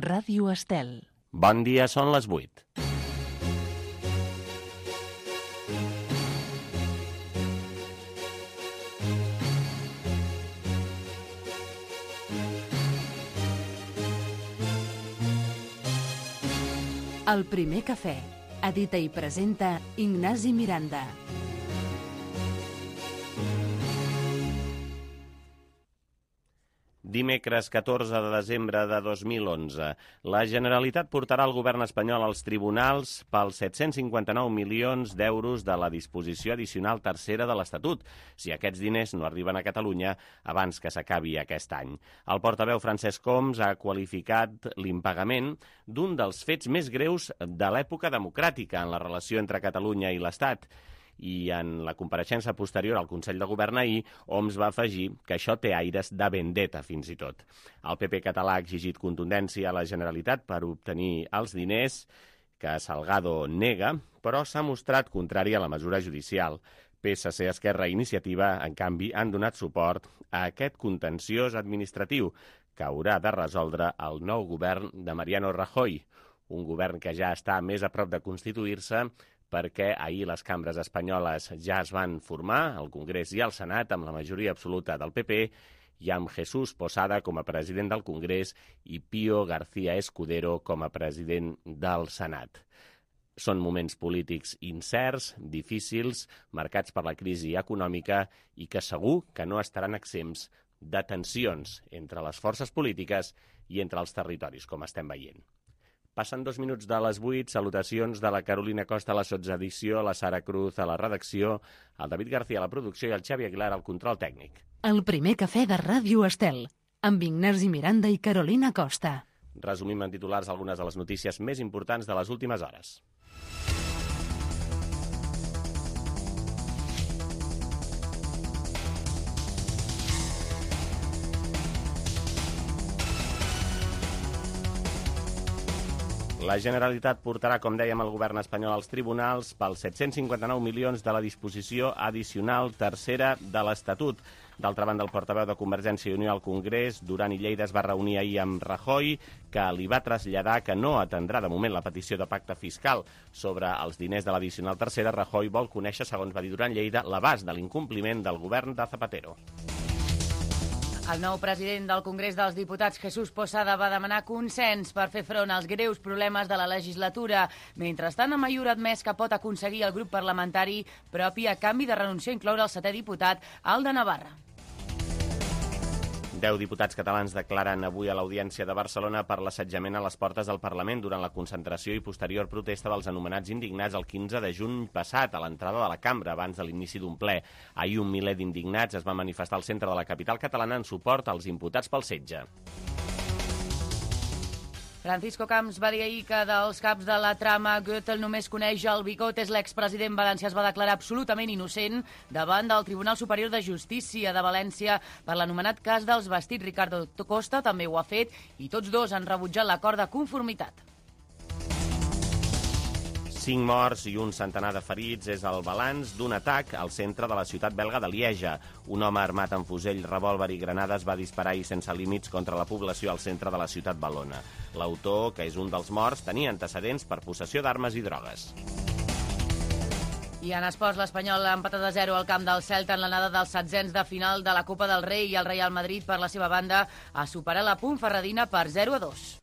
Ràdio Estel. Bon dia, són les 8. El primer cafè. Edita i presenta Ignasi Miranda. Dimecres 14 de desembre de 2011. La Generalitat portarà el govern espanyol als tribunals pels 759 milions d'euros de la disposició addicional tercera de l'Estatut, si aquests diners no arriben a Catalunya abans que s'acabi aquest any. El portaveu Francesc Homs ha qualificat l'impagament d'un dels fets més greus de l'època democràtica en la relació entre Catalunya i l'Estat. I en la compareixença posterior al Consell de Govern ahir, Homs va afegir que això té aires de vendetta, fins i tot. El PP català ha exigit contundència a la Generalitat per obtenir els diners que Salgado nega, però s'ha mostrat contrari a la mesura judicial. PSC, Esquerra i Iniciativa, en canvi, han donat suport a aquest contenciós administratiu que haurà de resoldre el nou govern de Mariano Rajoy, un govern que ja està més a prop de constituir-se perquè ahir les cambres espanyoles ja es van formar, el Congrés i el Senat, amb la majoria absoluta del PP, i amb Jesús Posada com a president del Congrés i Pío García Escudero com a president del Senat. Són moments polítics incerts, difícils, marcats per la crisi econòmica i que segur que no estaran exempts de tensions entre les forces polítiques i entre els territoris, com estem veient. Passen 2 minuts de les 8, salutacions de la Carolina Costa a la sotsedició, la Sara Cruz a la redacció, el David García a la producció i el Xavi Aguilar al control tècnic. El primer cafè de Ràdio Estel, amb Ignasi Miranda i Carolina Costa. Resumim en titulars algunes de les notícies més importants de les últimes hores. La Generalitat portarà, com dèiem, el govern espanyol als tribunals pels 759 milions de la disposició addicional tercera de l'Estatut. D'altra banda, el portaveu de Convergència i Unió al Congrés, Duran i Lleida, es va reunir ahir amb Rajoy, que li va traslladar que no atendrà de moment la petició de pacte fiscal sobre els diners de l'addicional tercera. Rajoy vol conèixer, segons va dir Duran i Lleida, l'abast de l'incompliment del govern de Zapatero. El nou president del Congrés dels Diputats, Jesús Posada, va demanar consens per fer front als greus problemes de la legislatura. Mentrestant, Amaiur ha admès que pot aconseguir el grup parlamentari propi a canvi de renunciar a incloure el 7è diputat, el de Navarra. 10 diputats catalans declaren avui a l'Audiència de Barcelona per l'assetjament a les portes del Parlament durant la concentració i posterior protesta dels anomenats indignats el 15 de juny passat a l'entrada de la cambra abans de l'inici d'un ple. Ahir un miler d'indignats es va manifestar al centre de la capital catalana en suport als imputats pel setge. Francisco Camps va dir ahir que dels caps de la trama Gürtel només coneix el Bigotes. L'expresident valencià es va declarar absolutament innocent davant del Tribunal Superior de Justícia de València per l'anomenat cas dels vestits. Ricardo Costa també ho ha fet i tots dos han rebutjat l'acord de conformitat. 5 morts i un centenar de ferits és el balanç d'un atac al centre de la ciutat belga de Lieja. Un home armat amb fusell, revòlver i granades va disparar i sense límits contra la població al centre de la ciutat valona. L'autor, que és un dels morts, tenia antecedents per possessió d'armes i drogues. I en esports, l'Espanyol ha empatat a 0 al camp del Celta en l'anada dels setzents de final de la Copa del Rei i el Real Madrid, per la seva banda, ha superat la Ponferradina per 0-2.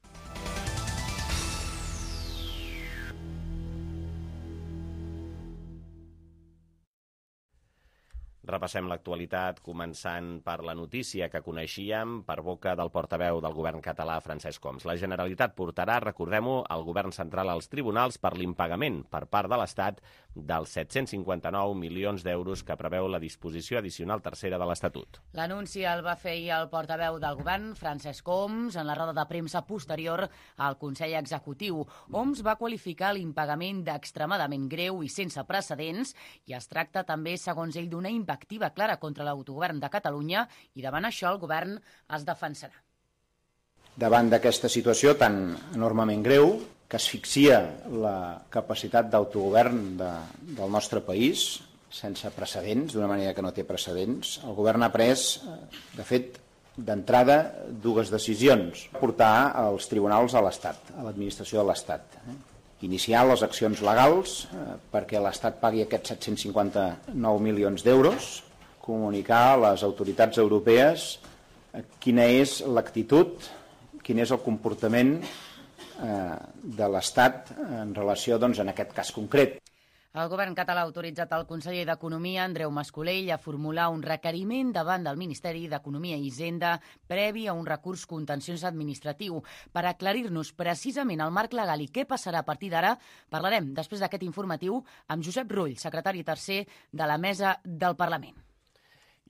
Repassem l'actualitat, començant per la notícia que coneixíem per boca del portaveu del govern català, Francesc Homs. La Generalitat portarà, recordem-ho, el govern central als tribunals per l'impagament per part de l'Estat dels 759 milions d'euros que preveu la disposició addicional tercera de l'Estatut. L'anunci el va fer el portaveu del govern, Francesc Homs, en la roda de premsa posterior al Consell Executiu. Homs va qualificar l'impagament d'extremadament greu i sense precedents i es tracta també, segons ell, d'una activa clara contra l'autogovern de Catalunya i davant això el govern es defensarà. Davant d'aquesta situació tan enormement greu que asfixia la capacitat d'autogovern del nostre país sense precedents, d'una manera que no té precedents, el govern ha pres, de fet, D'entrada, dues decisions. Portar els tribunals a l'Estat, a l'administració de l'Estat. Iniciar les accions legals perquè l'Estat pagui aquests 759 milions d'euros, comunicar a les autoritats europees quina és l'actitud, quin és el comportament de l'Estat en relació, doncs, en aquest cas concret. El govern català ha autoritzat el conseller d'Economia, Andreu Mas-Colell, a formular un requeriment davant del Ministeri d'Economia i Hisenda previ a un recurs contenciós administratiu. Per aclarir-nos precisament el marc legal i què passarà a partir d'ara, parlarem després d'aquest informatiu amb Josep Rull, secretari tercer de la Mesa del Parlament.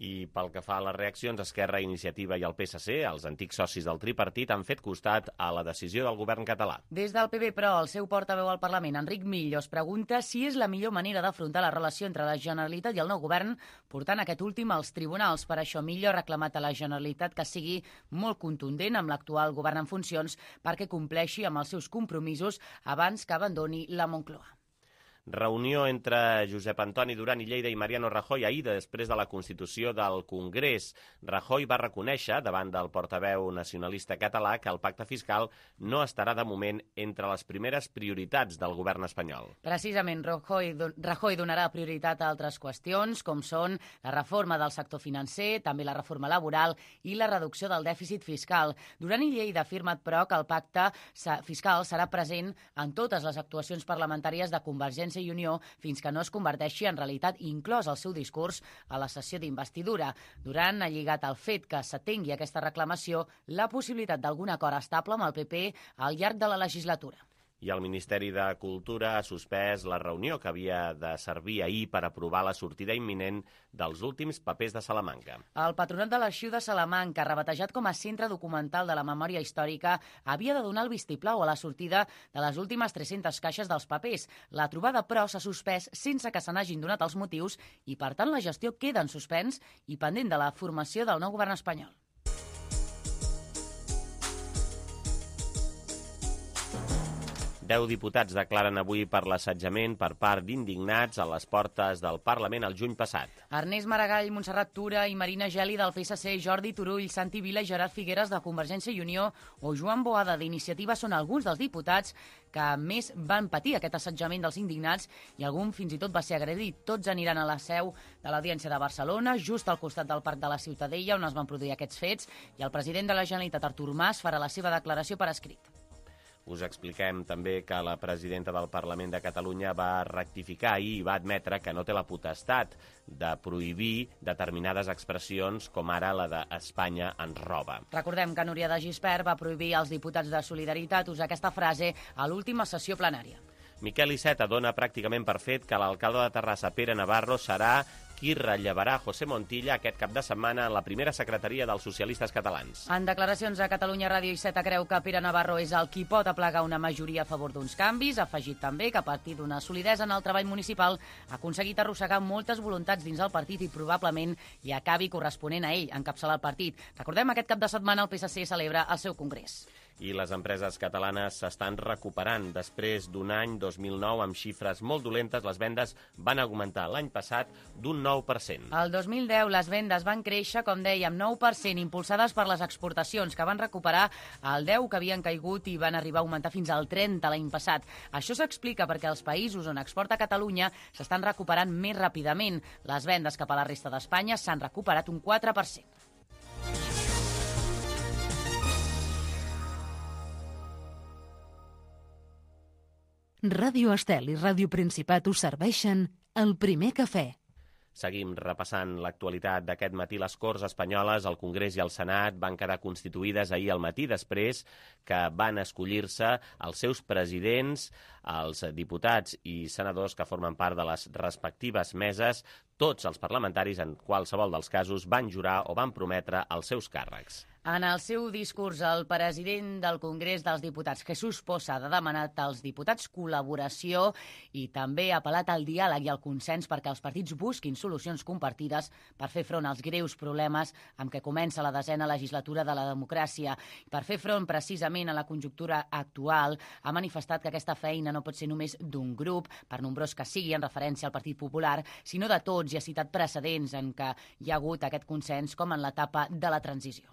I pel que fa a les reaccions, Esquerra, Iniciativa i el PSC, els antics socis del tripartit, han fet costat a la decisió del govern català. Des del PP, però, el seu portaveu al Parlament, Enric Millo, es pregunta si és la millor manera d'afrontar la relació entre la Generalitat i el nou govern, portant aquest últim als tribunals. Per això, Millo ha reclamat a la Generalitat que sigui molt contundent amb l'actual govern en funcions perquè compleixi amb els seus compromisos abans que abandoni la Moncloa. Reunió entre Josep Antoni Duran i Lleida i Mariano Rajoy ahir després de la constitució del Congrés. Rajoy va reconèixer davant del portaveu nacionalista català que el pacte fiscal no estarà de moment entre les primeres prioritats del govern espanyol. Precisament, Rajoy donarà prioritat a altres qüestions, com són la reforma del sector financer, també la reforma laboral i la reducció del dèficit fiscal. Duran i Lleida ha afirmat, però, que el pacte fiscal serà present en totes les actuacions parlamentàries de Convergència i Unió fins que no es converteixi en realitat, inclòs el seu discurs a la sessió d'investidura. Duran ha lligat al fet que s'atengui aquesta reclamació la possibilitat d'algun acord estable amb el PP al llarg de la legislatura. I el Ministeri de Cultura ha suspès la reunió que havia de servir ahir per aprovar la sortida imminent dels últims papers de Salamanca. El Patronat de l'Arxiu de Salamanca, rebatejat com a Centre Documental de la Memòria Històrica, havia de donar el vistiplau a la sortida de les últimes 300 caixes dels papers. La trobada, però, s'ha suspès sense que se n'hagin donat els motius i, per tant, la gestió queda en suspens i pendent de la formació del nou govern espanyol. Deu diputats declaren avui per l'assetjament per part d'indignats a les portes del Parlament el juny passat. Ernest Maragall, Montserrat Tura i Marina Geli del PSC, Jordi Turull, Santi Vila i Gerard Figueres de Convergència i Unió o Joan Boada d'Iniciativa són alguns dels diputats que més van patir aquest assetjament dels indignats i algun fins i tot va ser agredit. Tots aniran a la seu de l'Audiència de Barcelona, just al costat del Parc de la Ciutadella, on es van produir aquests fets, i el president de la Generalitat, Artur Mas, farà la seva declaració per escrit. Us expliquem també que la presidenta del Parlament de Catalunya va rectificar ahir i va admetre que no té la potestat de prohibir determinades expressions com ara la d'Espanya ens roba. Recordem que Núria de Gispert va prohibir als diputats de Solidaritat usar aquesta frase a l'última sessió plenària. Miquel Iceta dona pràcticament per fet que l'alcalde de Terrassa, Pere Navarro, serà qui rellevarà José Montilla aquest cap de setmana en la primera secretaria dels socialistes catalans. En declaracions a Catalunya Ràdio, Iceta creu que Pere Navarro és el qui pot aplegar una majoria a favor d'uns canvis. Ha afegit també que a partir d'una solidesa en el treball municipal ha aconseguit arrossegar moltes voluntats dins del partit i probablement hi acabi corresponent a ell encapçalar el partit. Recordem, aquest cap de setmana el PSC celebra el seu congrés. I les empreses catalanes s'estan recuperant. Després d'un any 2009 amb xifres molt dolentes, les vendes van augmentar l'any passat d'un 9%. El 2010 les vendes van créixer, com dèiem, 9%, impulsades per les exportacions, que van recuperar el 10% que havien caigut i van arribar a augmentar fins al 30% l'any passat. Això s'explica perquè els països on exporta Catalunya s'estan recuperant més ràpidament. Les vendes cap a la resta d'Espanya s'han recuperat un 4%. Ràdio Estel i Ràdio Principat us serveixen el primer cafè. Seguim repassant l'actualitat d'aquest matí. Les Corts espanyoles, el Congrés i el Senat van quedar constituïdes ahir al matí després que van escollir-se els seus presidents, els diputats i senadors que formen part de les respectives meses. Tots els parlamentaris, en qualsevol dels casos, van jurar o van prometre els seus càrrecs. En el seu discurs, el president del Congrés dels Diputats, Jesús Posada, ha demanat als diputats col·laboració i també ha apel·lat al diàleg i al consens perquè els partits busquin solucions compartides per fer front als greus problemes amb què comença la 10ª legislatura de la democràcia. Per fer front precisament a la conjuntura actual, ha manifestat que aquesta feina no pot ser només d'un grup, per nombrós que sigui en referència al Partit Popular, sinó de tots, i ha citat precedents en què hi ha hagut aquest consens com en l'etapa de la transició.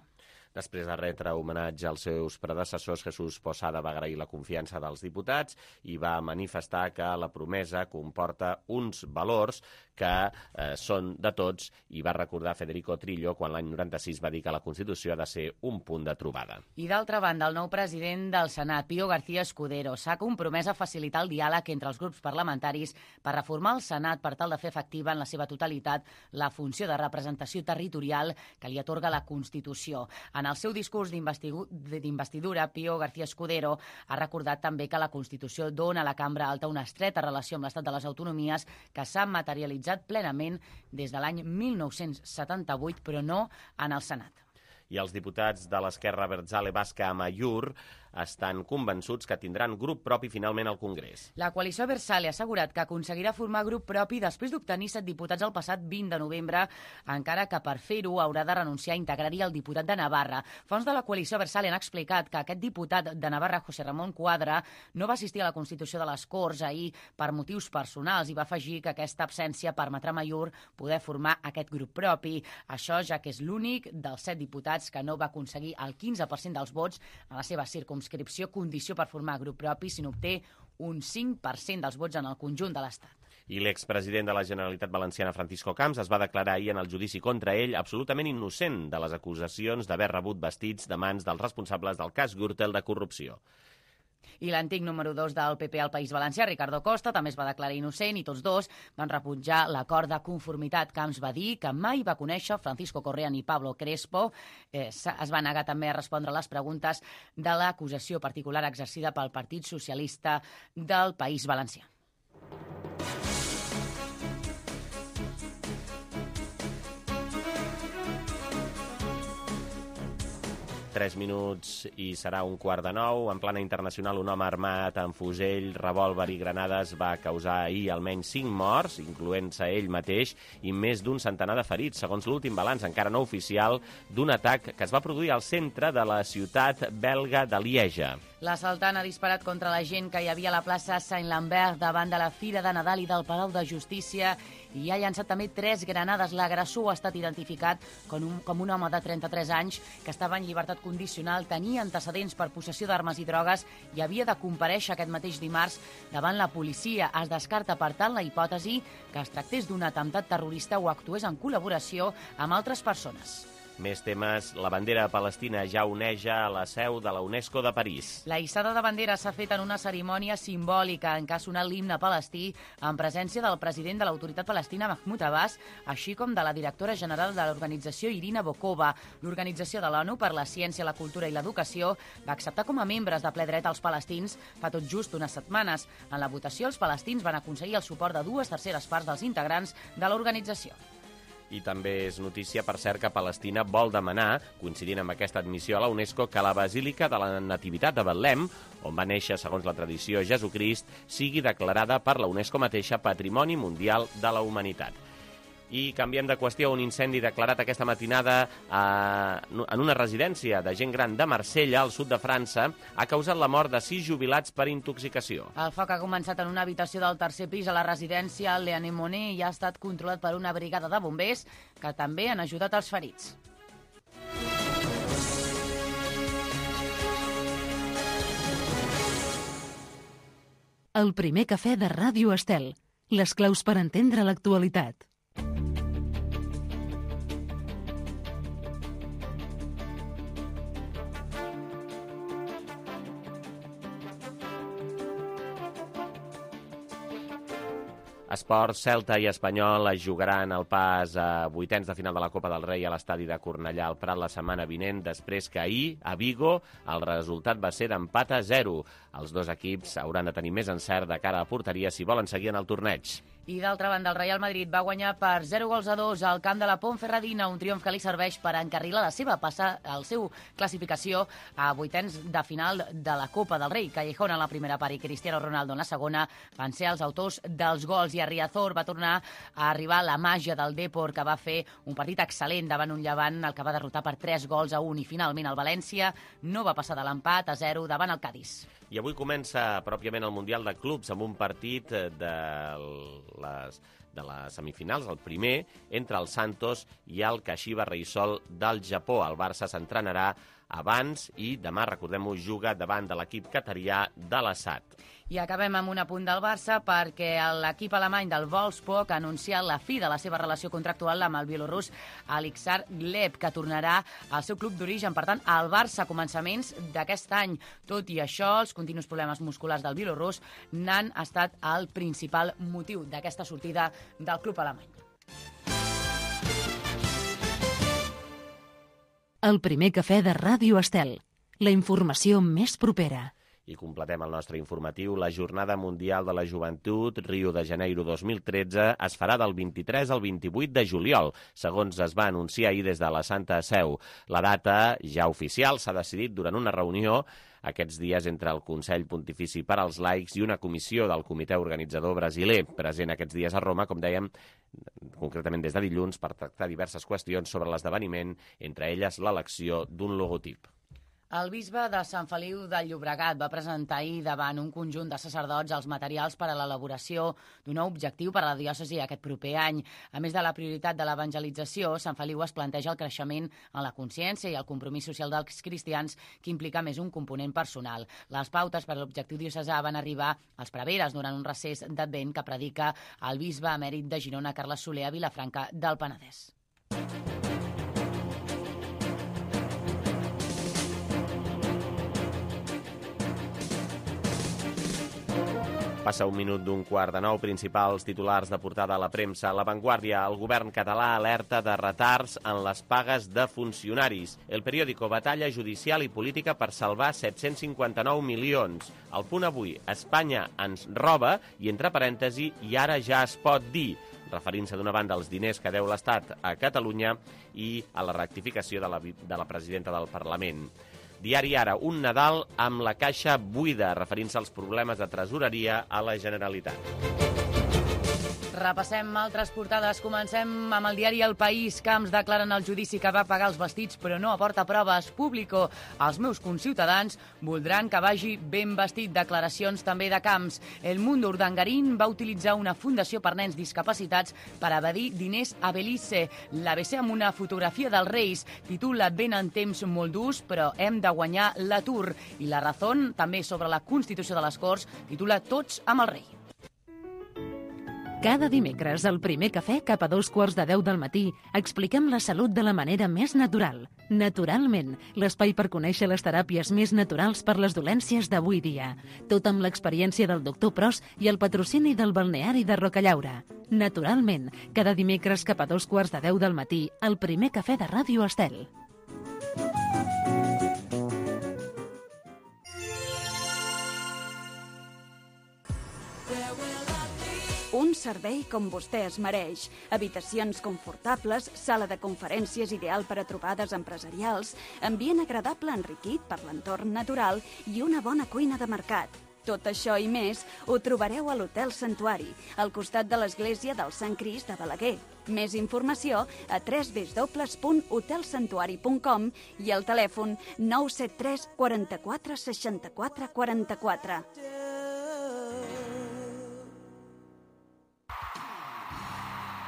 Després de retre homenatge als seus predecessors, Jesús Posada va agrair la confiança dels diputats i va manifestar que la promesa comporta uns valors que són de tots, i va recordar Federico Trillo quan l'any 96 va dir que la Constitució ha de ser un punt de trobada. I d'altra banda, el nou president del Senat, Pío García Escudero, s'ha compromès a facilitar el diàleg entre els grups parlamentaris per reformar el Senat per tal de fer efectiva en la seva totalitat la funció de representació territorial que li atorga la Constitució. En el seu discurs d'investidura, Pío García Escudero ha recordat també que la Constitució dona a la Cambra Alta una estreta relació amb l'Estat de les Autonomies que s'ha materialitzat plenament des de l'any 1978, però no en el Senat. I els diputats de l'esquerra Abertzale Basca a Amaiur estan convençuts que tindran grup propi finalment al Congrés. La coalició Abertzale ha assegurat que aconseguirà formar grup propi després d'obtenir 7 diputats el passat 20 de novembre, encara que per fer-ho haurà de renunciar a integrar-hi el diputat de Navarra. Fonts de la coalició Abertzale han explicat que aquest diputat de Navarra, José Ramón Cuadra, no va assistir a la Constitució de les Corts ahir per motius personals i va afegir que aquesta absència permetrà a Amaiur poder formar aquest grup propi. Això ja que és l'únic dels 7 diputats que no va aconseguir el 15% dels vots a la seva circumscripció, condició per formar grup propi si n'obté un 5% dels vots en el conjunt de l'Estat. I l'expresident de la Generalitat Valenciana, Francisco Camps, es va declarar ahir en el judici contra ell absolutament innocent de les acusacions d'haver rebut vestits de mans dels responsables del cas Gürtel de corrupció. I l'antic número 2 del PP al País Valencià, Ricardo Costa, també es va declarar innocent i tots dos van rebutjar l'acord de conformitat. Camps va dir que mai va conèixer Francisco Correa ni Pablo Crespo. Es va negar també a respondre les preguntes de l'acusació particular exercida pel Partit Socialista del País Valencià. 3 minuts i serà 8:45. En plana internacional, un home armat amb fusell, revòlver i granades va causar ahir almenys 5 morts, incloent-se ell mateix, i més d'un centenar de ferits, segons l'últim balanç, encara no oficial, d'un atac que es va produir al centre de la ciutat belga de Lieja. L'assaltant ha disparat contra la gent que hi havia a la plaça Saint-Lambert davant de la Fira de Nadal i del Palau de Justícia i ha llançat també 3 granades. L'agressor ha estat identificat com un home de 33 anys que estava en llibertat condicional, tenia antecedents per possessió d'armes i drogues i havia de comparèixer aquest mateix dimarts davant la policia. Es descarta, per tant, la hipòtesi que es tractés d'un atemptat terrorista o actués en col·laboració amb altres persones. Més temes. La bandera palestina ja oneja a la seu de la UNESCO de París. La hissada de bandera s'ha fet en una cerimònia simbòlica en què ha sonat l'himne palestí en presència del president de l'autoritat palestina Mahmoud Abbas, així com de la directora general de l'organització Irina Bokova. L'Organització de l'ONU per la Ciència, la Cultura i l'Educació va acceptar com a membres de ple dret als palestins fa tot just unes setmanes. En la votació, els palestins van aconseguir el suport de 2/3 parts dels integrants de l'organització. I també és notícia, per cert, que Palestina vol demanar, coincidint amb aquesta admissió a la UNESCO, que la Basílica de la Nativitat de Betlem, on va néixer, segons la tradició, Jesucrist, sigui declarada per la UNESCO mateixa Patrimoni Mundial de la Humanitat. I canviem de qüestió. Un incendi declarat aquesta matinada en una residència de gent gran de Marsella, al sud de França, ha causat la mort de 6 jubilats per intoxicació. El foc ha començat en una habitació del tercer pis a la residència Le Anemone i ha estat controlat per una brigada de bombers que també han ajudat els ferits. El primer cafè de Ràdio Estel. Les claus per entendre l'actualitat. Esports, Celta i Espanyol es jugaran el pas a vuitens de final de la Copa del Rei a l'estadi de Cornellà al Prat la setmana vinent, després que ahir, a Vigo, el resultat va ser d'empat a 0. Els dos equips hauran de tenir més encert de cara a la porteria si volen seguir en el torneig. I d'altra banda, el Real Madrid va guanyar per 0-2 al camp de la Ponferradina, un triomf que li serveix per encarrilar la seva classificació a vuitens de final de la Copa del Rei. Callejón en la primera part i Cristiano Ronaldo en la segona van ser els autors dels gols i a Riazor va tornar a arribar la màgia del Depor, que va fer un partit excel·lent davant un Llevant, el que va derrotar per 3-1 i finalment el València no va passar de l'empat a 0 davant el Cádiz. I avui comença pròpiament el Mundial de Clubs amb un partit de les semifinals, el primer, entre el Santos i el Kashiwa Reysol del Japó. El Barça s'entrenarà abans i demà, recordem-ho, juga davant de l'equip qatarià de l'Assad. I acabem amb un apunt del Barça perquè l'equip alemany del Wolfsburg ha anunciat la fi de la seva relació contractual amb el bielorús Aleksandr Gleb, que tornarà al seu club d'origen, per tant, al Barça a començaments d'aquest any. Tot i això, els continus problemes musculars del bielorús n'han estat el principal motiu d'aquesta sortida del club alemany. El primer cafè de Ràdio Estel. La informació més propera. I completem el nostre informatiu. La Jornada Mundial de la Joventut Rio de Janeiro 2013 es farà del 23 al 28 de juliol, segons es va anunciar ahir des de la Santa Seu. La data, ja oficial, s'ha decidit durant una reunió aquests dies entre el Consell Pontifici per als Laics i una comissió del comitè organitzador brasiler, present aquests dies a Roma, com dèiem, concretament des de dilluns, per tractar diverses qüestions sobre l'esdeveniment, entre elles l'elecció d'un logotip. El bisbe de Sant Feliu de Llobregat va presentar ahir davant un conjunt de sacerdots els materials per a l'elaboració d'un nou objectiu per a la diòcesi aquest proper any. A més de la prioritat de l'evangelització, Sant Feliu es planteja el creixement en la consciència i el compromís social dels cristians, que implica més un component personal. Les pautes per a l'objectiu diocesà van arribar als preveres durant un recés d'Advent que predica el bisbe emèrit de Girona, Carles Soler, a Vilafranca del Penedès. Passa un minut d'un quart de nou. Principals titulars de portada a la premsa. La Vanguardia, el govern català alerta de retards en les pagues de funcionaris. El periòdico, batalla judicial i política per salvar 759 milions. El Punt Avui, Espanya ens roba i, entre parèntesi, i ara ja es pot dir, referint-se d'una banda als diners que deu l'Estat a Catalunya i a la rectificació de la presidenta del Parlament. Diari Ara, un Nadal amb la caixa buida, referint-se als problemes de tresoreria a la Generalitat. Repassem altres portades. Comencem amb el diari El País. Camps declaren el judici que va pagar els vestits però no aporta proves. Público. Els meus conciutadans voldran que vagi ben vestit. Declaracions també de Camps. El Mundo, Urdangarín va utilitzar una fundació per nens discapacitats per evadir diners a Belize. L'ABC amb una fotografia dels Reis titula "Venen temps molt durs però hem de guanyar l'atur". I La Razón, també sobre la Constitució de les Corts, titula "Tots amb el rei". Cada dimecres, al primer cafè, cap a 9:45 del matí, expliquem la salut de la manera més natural. Naturalment, l'espai per conèixer les teràpies més naturals per les dolències d'avui dia. Tot amb l'experiència del doctor Pros i el patrocini del balneari de Rocallaura. Naturalment, cada dimecres cap a 9:45 del matí, al primer cafè de Ràdio Estel. Un servei com vostè es mereix. Habitacions confortables, sala de conferències ideal per a trobades empresarials, ambient agradable enriquit per l'entorn natural i una bona cuina de mercat. Tot això i més ho trobareu a l'Hotel Santuari, al costat de l'església del Sant Crist de Balaguer. Més informació a www.hotelsantuari.com i al telèfon 973 44 64 44.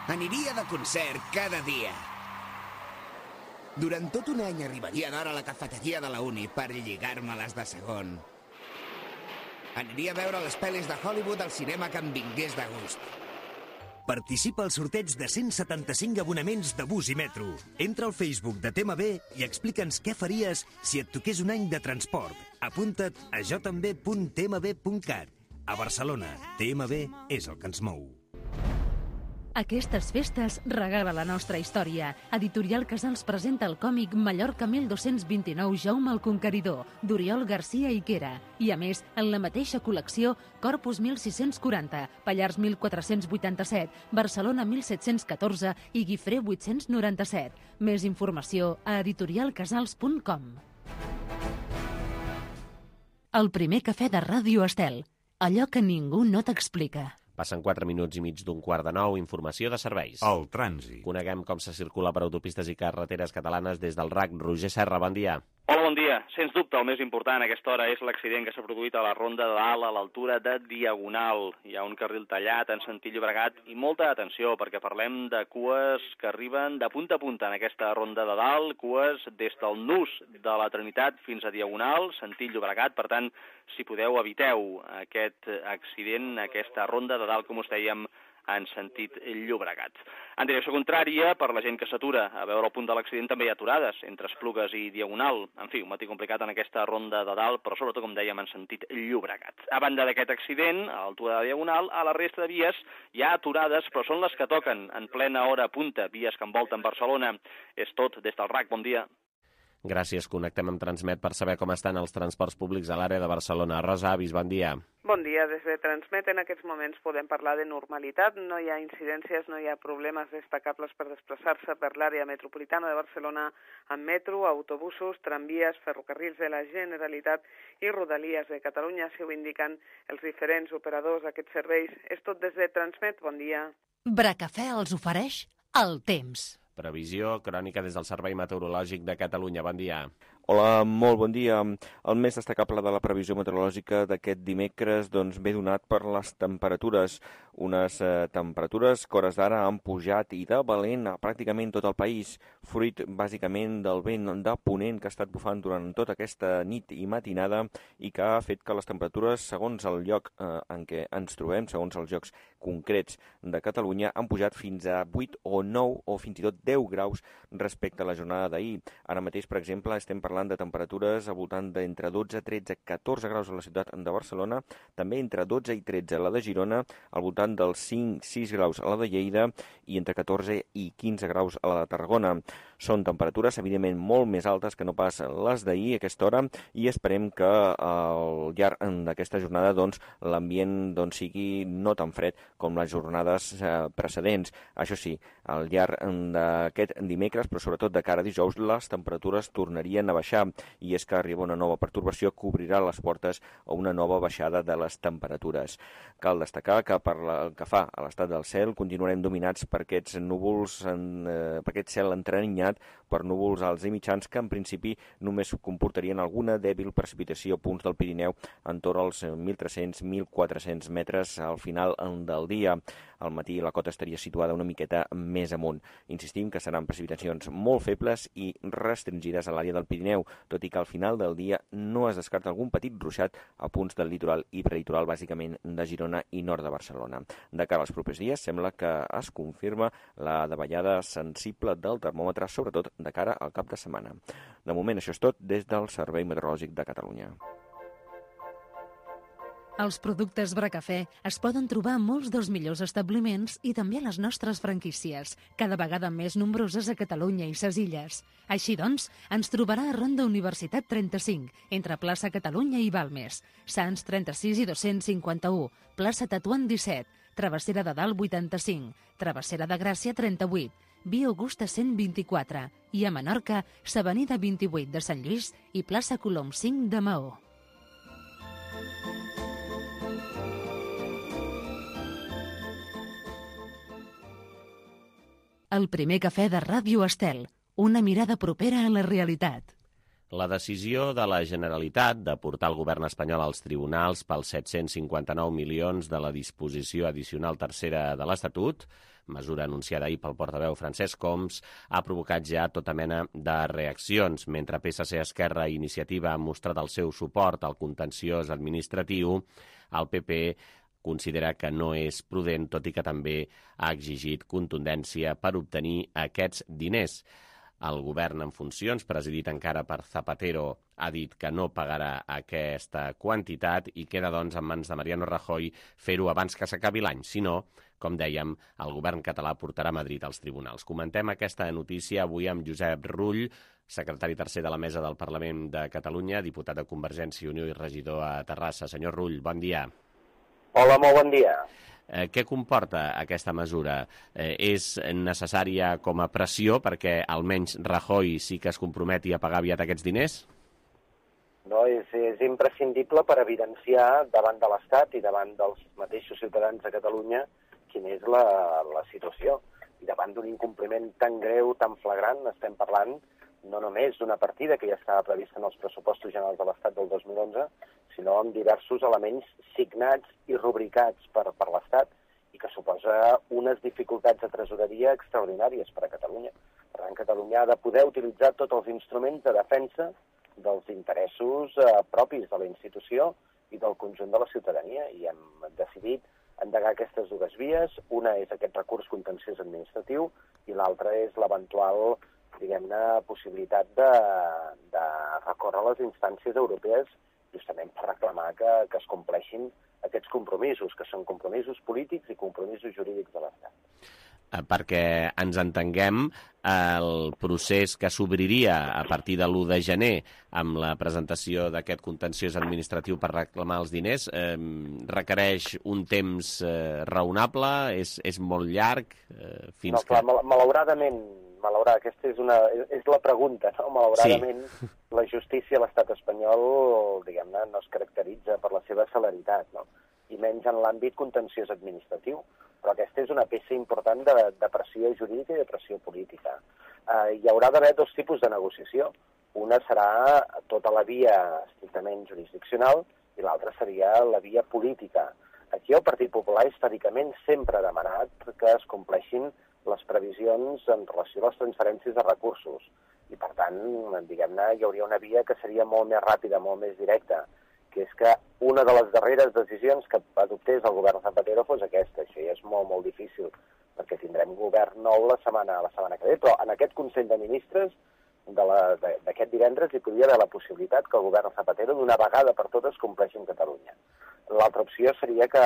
Aniria de concert cada dia. Durant tot un any arribaria d'hora a la cafeteria de la uni per lligar-me-les de segon. Aniria a veure les pel·lis de Hollywood al cinema que em vingués de gust. Participa al sorteig de 175 abonaments de bus i metro. Entra al Facebook de TMB i explica'ns què faries si et toqués un any de transport. Apunta't a jotambé.tmb.cat. A Barcelona, TMB és el que ens mou. Aquestes festes regala la nostra història. Editorial Casals presenta el còmic Mallorca 1229 Jaume el Conqueridor, d'Oriol Garcia Iquera. I a més, en la mateixa col·lecció, Corpus 1640, Pallars 1487, Barcelona 1714 i Guifré 897. Més informació a editorialcasals.com. El primer cafè de Ràdio Estel. Allò que ningú no t'explica. Passen 4 minuts i mig d'un quart de 9, informació de serveis. El trànsit. Coneguem com se circula per autopistes i carreteres catalanes des del RAC. Roger Serra, bon dia. Hola, bon dia. Sens dubte, el més important a aquesta hora és l'accident que s'ha produït a la Ronda de Dalt a l'altura de Diagonal. Hi ha un carril tallat en sentit Llobregat i molta atenció perquè parlem de cues que arriben de punta a punta en aquesta Ronda de Dalt, cues des del nus de la Trinitat fins a Diagonal, sentit Llobregat. Per tant, si podeu, eviteu aquest accident, aquesta Ronda de Dalt, com us dèiem, en sentit Llobregat. En direcció contrària, per la gent que s'atura a veure el punt de l'accident, també hi ha aturades entre Esplugues i Diagonal. En fi, un matí complicat en aquesta Ronda de Dalt, però sobretot, com dèiem, en sentit Llobregat. A banda d'aquest accident, a l'altura de Diagonal, a la resta de vies hi ha aturades, però són les que toquen en plena hora punta, vies que envolten Barcelona. És tot des del RAC. Bon dia. Gràcies. Connectem amb Transmet per saber com estan els transports públics a l'àrea de Barcelona. Rosa Avis, bon dia. Bon dia. Des de Transmet en aquests moments podem parlar de normalitat. No hi ha incidències, no hi ha problemes destacables per desplaçar-se per l'àrea metropolitana de Barcelona amb metro, autobusos, tramvies, ferrocarrils de la Generalitat i Rodalies de Catalunya, si ho indiquen els diferents operadors d'aquests serveis. És tot des de Transmet. Bon dia. Bracafè els ofereix el temps. Previsió crònica des del Servei Meteorològic de Catalunya. Bon dia. Hola, molt bon dia. El més destacable de la previsió meteorològica d'aquest dimecres ve donat per les temperatures. Unes temperatures que hores d'ara han pujat i de valent a pràcticament tot el país, fruit bàsicament del vent de ponent que ha estat bufant durant tota aquesta nit i matinada i que ha fet que les temperatures, segons el lloc en què ens trobem, segons els llocs concrets de Catalunya, han pujat fins a 8 o 9 o fins i tot 10 graus respecte a la jornada d'ahir. Ara mateix, per exemple, estem parlant de temperatures al voltant d'entre 12, 13, 14 graus a la ciutat de Barcelona, també entre 12 i 13 a la de Girona, al voltant dels 5, 6 graus a la de Lleida i entre 14 i 15 graus a la de Tarragona. Són temperatures, evidentment, molt més altes que no pas les d'ahir a aquesta hora i esperem que al llarg d'aquesta jornada l'ambient sigui no tan fred com les jornades precedents. Això sí, al llarg d'aquest dimecres, però sobretot de cara a dijous, les temperatures tornarien a baixar i és que arriba una nova pertorbació que obrirà les portes a una nova baixada de les temperatures. Cal destacar que per el que fa a l'estat del cel continuarem dominats per aquests núvols, per aquest cel entrenyat per núvols alts i mitjans que en principi només comportarien alguna dèbil precipitació a punts del Pirineu entorn als 1.300-1.400 metres al final del dia. Al matí la cota estaria situada una miqueta més amunt. Insistim que seran precipitacions molt febles i restringides a l'àrea del Pirineu, tot i que al final del dia no es descarta algun petit ruixat a punts del litoral i prelitoral, bàsicament de Girona i nord de Barcelona. De cara als propers dies sembla que es confirma la davallada sensible del termòmetre, sobretot de cara al cap de setmana. De moment això és tot des del Servei Meteorològic de Catalunya. Els productes Bracafè es poden trobar a molts dels millors establiments i també a les nostres franquícies, cada vegada més nombroses a Catalunya i ses illes. Així doncs, ens trobarà a Ronda Universitat 35, entre plaça Catalunya i Balmes, Sants 36 i 251, plaça Tatuant 17, Travessera de Dalt 85, Travessera de Gràcia 38, Via Augusta 124 i a Menorca, s'Avenida 28 de Sant Lluís i plaça Colom 5 de Maó. El primer cafè de Ràdio Estel, una mirada propera a la realitat. La decisió de la Generalitat de portar el govern espanyol als tribunals pels 759 milions de la disposició addicional tercera de l'Estatut, mesura anunciada ahir pel portaveu Francesc Homs, ha provocat ja tota mena de reaccions. Mentre PSC, Esquerra i Iniciativa han mostrat el seu suport al contenciós administratiu, el PP considera que no és prudent, tot i que també ha exigit contundència per obtenir aquests diners. El govern en funcions, presidit encara per Zapatero, ha dit que no pagarà aquesta quantitat i queda, doncs, en mans de Mariano Rajoy fer-ho abans que s'acabi l'any. Si no, com dèiem, el govern català portarà Madrid als tribunals. Comentem aquesta notícia avui amb Josep Rull, secretari tercer de la Mesa del Parlament de Catalunya, diputat de Convergència i Unió i regidor a Terrassa. Senyor Rull, bon dia. Hola, molt bon dia. Què comporta aquesta mesura? És necessària com a pressió perquè almenys Rajoy sí que es comprometi a pagar aviat aquests diners? No, és imprescindible per evidenciar davant de l'Estat i davant dels mateixos ciutadans de Catalunya quina és la situació. I davant d'un incompliment tan greu, tan flagrant, estem parlant no només d'una partida que ja estava prevista en els pressupostos generals de l'Estat del 2011, sinó amb diversos elements signats i rubricats per l'Estat i que suposa unes dificultats de tresoreria extraordinàries per a Catalunya. Per tant, Catalunya ha de poder utilitzar tots els instruments de defensa dels interessos propis de la institució i del conjunt de la ciutadania, i hem decidit endegar aquestes dues vies. Una és aquest recurs contenciós administratiu i l'altra és l'eventual, diguem-ne, possibilitat de recórrer a les instàncies europees justament per reclamar que es compleixin aquests compromisos, que són compromisos polítics i compromisos jurídics de l'Estat. Perquè ens entenguem, el procés que s'obriria a partir de l'1 de gener amb la presentació d'aquest contenciós administratiu per reclamar els diners requereix un temps raonable? És molt llarg? No, clar, malauradament, aquesta és la pregunta, no? Malauradament, sí. La justícia a l'estat espanyol, diguem-ne, no es caracteritza per la seva celeritat, no? I menys en l'àmbit contenciós administratiu. Però aquesta és una peça important de pressió jurídica i de pressió política. Hi haurà d'haver dos tipus de negociació. Una serà tota la via estrictament jurisdiccional i l'altra seria la via política. Aquí el Partit Popular històricament sempre ha demanat que es compleixin les previsions en relació a les transferències de recursos. I per tant, diguem-ne, hi hauria una via que seria molt més ràpida, molt més directa, que és que una de les darreres decisions que adoptés el govern Zapatero fos aquesta. Això ja és molt, molt difícil, perquè tindrem govern nou la setmana que ve, però en aquest Consell de Ministres d'aquest divendres hi podria haver la possibilitat que el govern Zapatero d'una vegada per totes compleixi en Catalunya. L'altra opció seria que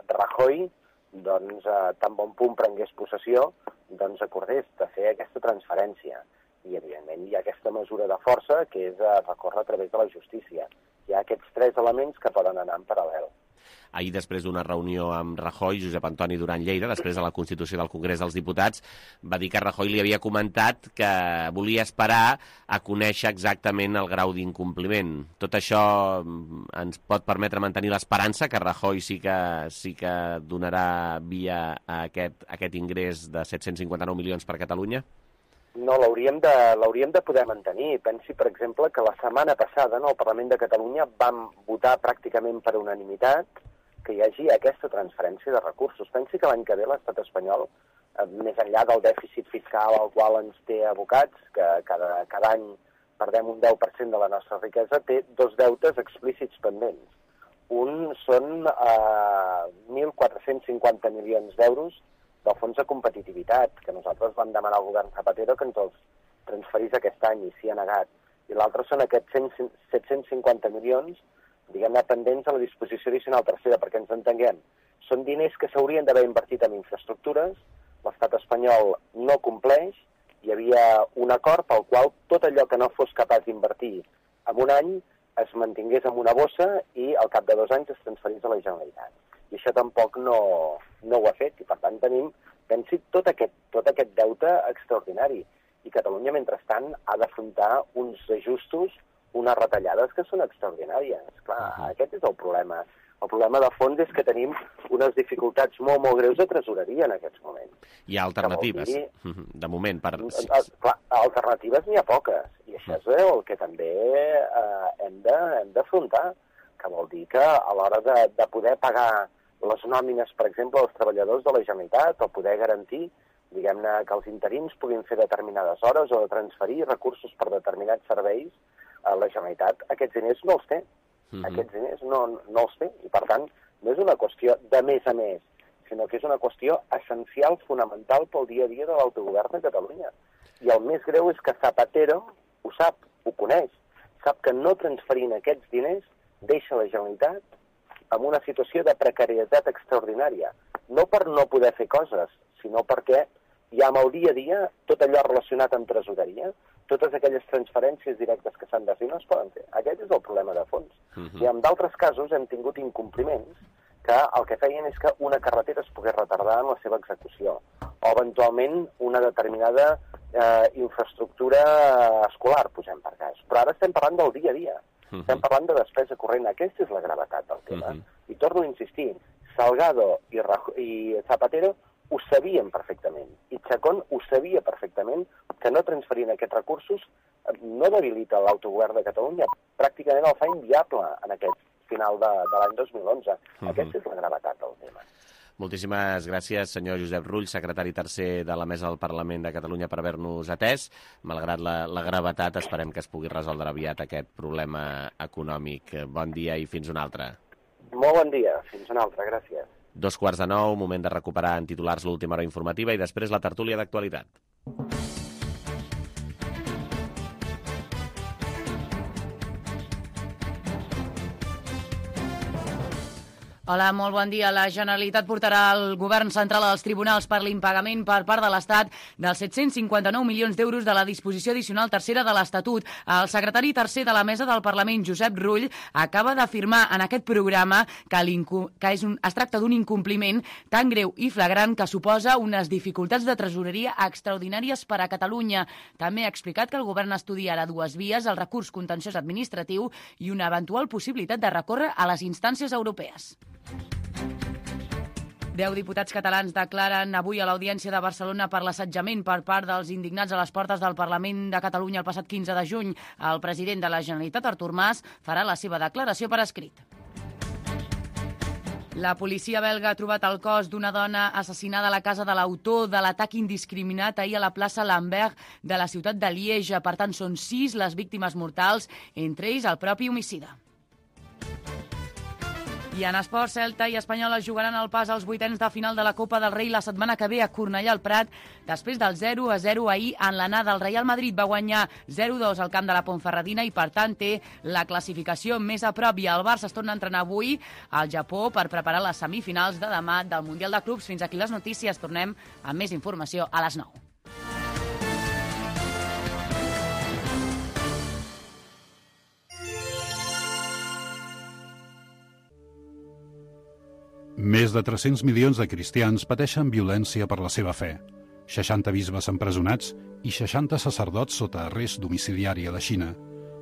Rajoy, doncs, tan bon punt prengués possessió, doncs acordés de fer aquesta transferència. I, evidentment, hi ha aquesta mesura de força, que és recórrer a través de la justícia. Hi ha aquests tres elements que poden anar en paral·lel. Ahir, després d'una reunió amb Rajoy, Josep Antoni Duran Lleida, després de la Constitució del Congrés dels Diputats, va dir que Rajoy li havia comentat que volia esperar a conèixer exactament el grau d'incompliment. Tot això ens pot permetre mantenir l'esperança que Rajoy sí que donarà via a aquest ingrés de 759 milions per Catalunya? No, l'hauríem de poder mantenir. Pensi, per exemple, que la setmana passada al Parlament de Catalunya vam votar pràcticament per unanimitat que hi hagi aquesta transferència de recursos. Pensi que l'any que ve l'estat espanyol, més enllà del dèficit fiscal al qual ens té abocats, que cada any perdem un 10% de la nostra riquesa, té dos deutes explícits pendents. Un són 1.450 milions d'euros del fons de competitivitat, que nosaltres vam demanar al govern Zapatero que ens els transferís aquest any i s'hi ha negat. I l'altre són aquests 750 milions, diguem-ne, pendents a la disposició addicional tercera, perquè ens entenguem. Són diners que s'haurien d'haver invertit en infraestructures, l'estat espanyol no compleix, hi havia un acord pel qual tot allò que no fos capaç d'invertir en un any es mantingués en una bossa i al cap de 2 anys es transferís a la Generalitat. I això tampoc no ho ha fet, i per tant tenim, pensi, tot aquest deute extraordinari. I Catalunya, mentrestant, ha d'afrontar uns ajustos, unes retallades que són extraordinàries. Clar, aquest és el problema. El problema de fons és que tenim unes dificultats molt, molt greus de tresoreria en aquests moments. Hi ha alternatives, de moment. Clar, alternatives n'hi ha poques, i això és el que també hem d'afrontar, que vol dir que a l'hora de poder pagar les nòmines, per exemple, als treballadors de la Generalitat, o poder garantir, diguem-ne, que els interins puguin fer determinades hores o de transferir recursos per determinats serveis, la Generalitat aquests diners no els té. Aquests diners no els té, i per tant no és una qüestió de més a més, sinó que és una qüestió essencial, fonamental pel dia a dia de l'autogovern de Catalunya. I el més greu és que Zapatero ho sap, ho coneix, sap que no transferint aquests diners deixa la Generalitat en una situació de precarietat extraordinària. No per no poder fer coses, sinó perquè ja amb el dia a dia tot allò relacionat amb tresoreria, totes aquelles transferències directes que s'han de fer no es poden fer. Aquest és el problema de fons. I en d'altres casos hem tingut incompliments que el que feien és que una carretera es pogués retardar en la seva execució, o eventualment una determinada infraestructura escolar, posem per cas. Però ara estem parlant del dia a dia. Estem parlant de despesa corrent. Aquesta és la gravetat del tema. I torno a insistir, Salgado i Zapatero ho sabien perfectament. I Chacón ho sabia perfectament que no transferint aquests recursos no debilita l'autogovern de Catalunya, pràcticament el fa inviable en aquest final de l'any 2011. Aquesta és la gravetat del tema. Moltíssimes gràcies, senyor Josep Rull, secretari tercer de la Mesa del Parlament de Catalunya, per haver-nos atès. Malgrat la gravetat, esperem que es pugui resoldre aviat aquest problema econòmic. Bon dia i fins un altre. Molt bon dia, fins un altre, gràcies. 8:45, moment de recuperar en titulars l'última hora informativa i després la tertúlia d'actualitat. Hola, molt bon dia. La Generalitat portarà el govern central als tribunals per l'impagament per part de l'Estat dels 759 milions d'euros de la disposició addicional tercera de l'Estatut. El secretari tercer de la Mesa del Parlament, Josep Rull, acaba d'afirmar en aquest programa que es tracta d'un incompliment tan greu i flagrant que suposa unes dificultats de tresoreria extraordinàries per a Catalunya. També ha explicat que el govern estudiarà dues vies, el recurs contenciós administratiu i una eventual possibilitat de recórrer a les instàncies europees. 10 diputats catalans declaren avui a l'Audiència de Barcelona per l'assetjament per part dels indignats a les portes del Parlament de Catalunya el passat 15 de juny. El president de la Generalitat, Artur Mas, farà la seva declaració per escrit. La policia belga ha trobat el cos d'una dona assassinada a la casa de l'autor de l'atac indiscriminat ahir a la plaça Lambert de la ciutat de Lieja. Per tant, són 6 les víctimes mortals, entre ells el propi homicida. I en esports, Celta i Espanyol es jugaran el pas als vuitens de final de la Copa del Rei la setmana que ve a Cornellà al Prat, després del 0-0 ahir en l'anada. El Real Madrid va guanyar 0-2 al camp de la Ponferradina i, per tant, té la classificació més a prop. I el Barça es torna a entrenar avui al Japó per preparar les semifinals de demà del Mundial de Clubs. Fins aquí les notícies. Tornem amb més informació a les 9. Més de 300 milions de cristians pateixen violència per la seva fe. 60 bisbes empresonats i 60 sacerdots sota arrest domiciliari a la Xina.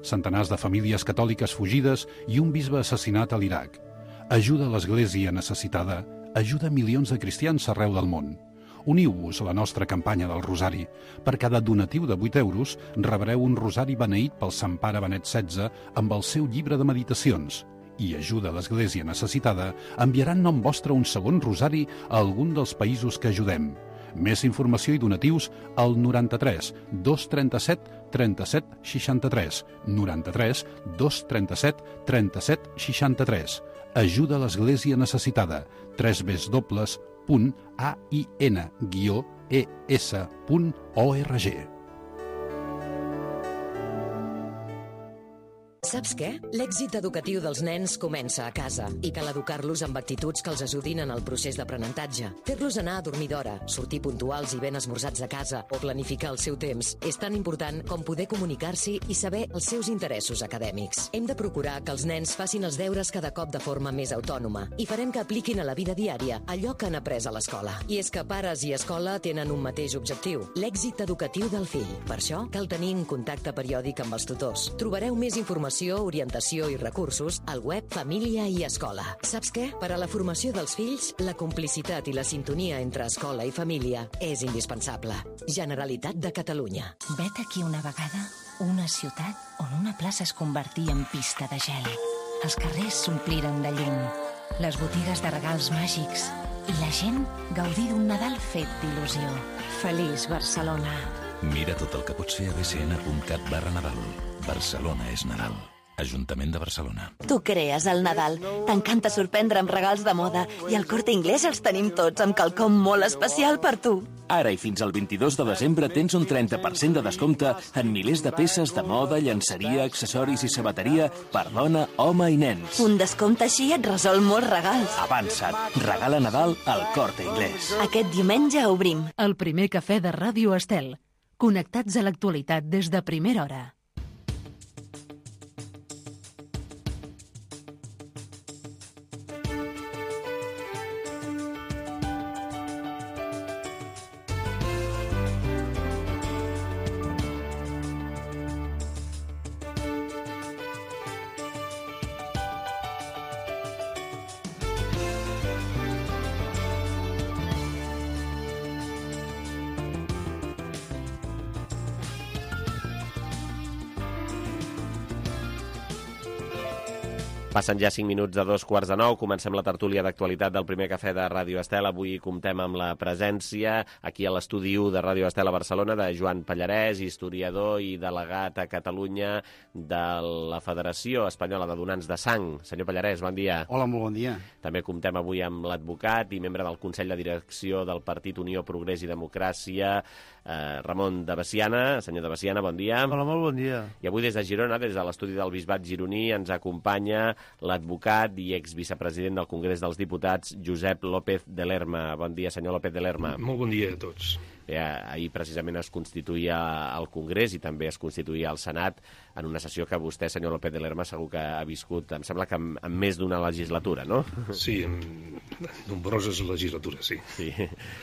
Centenars de famílies catòliques fugides i un bisbe assassinat a l'Iraq. Ajuda a l'Església necessitada, ajuda milions de cristians arreu del món. Uniu-vos a la nostra campanya del Rosari. Per cada donatiu de 8 euros rebreu un rosari beneït pel Sant Pare Benet XVI amb el seu llibre de meditacions. I ajuda a l'Església necessitada, enviaran nom vostre un segon rosari a algun dels països que ajudem. Més informació i donatius al 93 237 37 63. 93 237 37 63. Ajuda a l'Església necessitada. www.ain-es.org. Saps què? L'èxit educatiu dels nens comença a casa i cal educar-los amb actituds que els ajudin en el procés d'aprenentatge. Fer-los anar a dormir d'hora, sortir puntuals i ben esmorzats a casa o planificar el seu temps és tan important com poder comunicar-s'hi i saber els seus interessos acadèmics. Hem de procurar que els nens facin els deures cada cop de forma més autònoma i farem que apliquin a la vida diària allò que han après a l'escola. I és que pares i escola tenen un mateix objectiu, l'èxit educatiu del fill. Per això cal tenir un contacte periòdic amb els tutors. Trobareu més informació, orientació i recursos al web Família i Escola. Saps què? Per a la formació dels fills, la complicitat i la sintonia entre escola i família és indispensable. Generalitat de Catalunya. Vet aquí una vegada una ciutat on una plaça es convertia en pista de gel. Els carrers s'ompliren de llum, les botigues de regals màgics i la gent gaudir d'un Nadal fet d'il·lusió. Feliç Barcelona. Mira tot el que pots fer a bcn.cat/Nadal. Barcelona és Nadal. Ajuntament de Barcelona. Tu crees el Nadal. T'encanta sorprendre amb regals de moda i al Corte Inglés els tenim tots amb quelcom molt especial per tu. Ara i fins al 22 de desembre tens un 30% de descompte en milers de peces de moda, llenceria, accessoris i sabateria per dona, home i nens. Un descompte així et resol molts regals. Avança't. Regala Nadal al Corte Inglés. Aquest diumenge obrim. El primer cafè de Ràdio Estel. Connectats a l'actualitat des de primera hora. Passen ja 5 minuts de 2:45, comencem la tertúlia d'actualitat del primer cafè de Ràdio Estel. Avui comptem amb la presència aquí a l'estudi 1 de Ràdio Estel a Barcelona de Joan Pallarès, historiador i delegat a Catalunya de la Federació Espanyola de Donants de Sang. Senyor Pallarès, bon dia. Hola, molt bon dia. També comptem avui amb l'advocat i membre del Consell de Direcció del Partit Unió, Progrés i Democràcia, Ramon de Veciana. Senyor de Veciana, bon dia. Hola, molt bon dia. I avui des de Girona, des de l'estudi del Bisbat gironí, ens acompanya l'advocat i exvicepresident del Congrés dels Diputats, Josep López de Lerma. Bon dia, senyor López de Lerma. Molt bon dia a tots. Bé, ahir precisament es constituïa el Congrés i també es constituïa el Senat en una sessió que vostè, senyor López de Lerma, segur que ha viscut, em sembla que en més d'una legislatura, no? Sí, en nombroses legislatures, sí. Sí.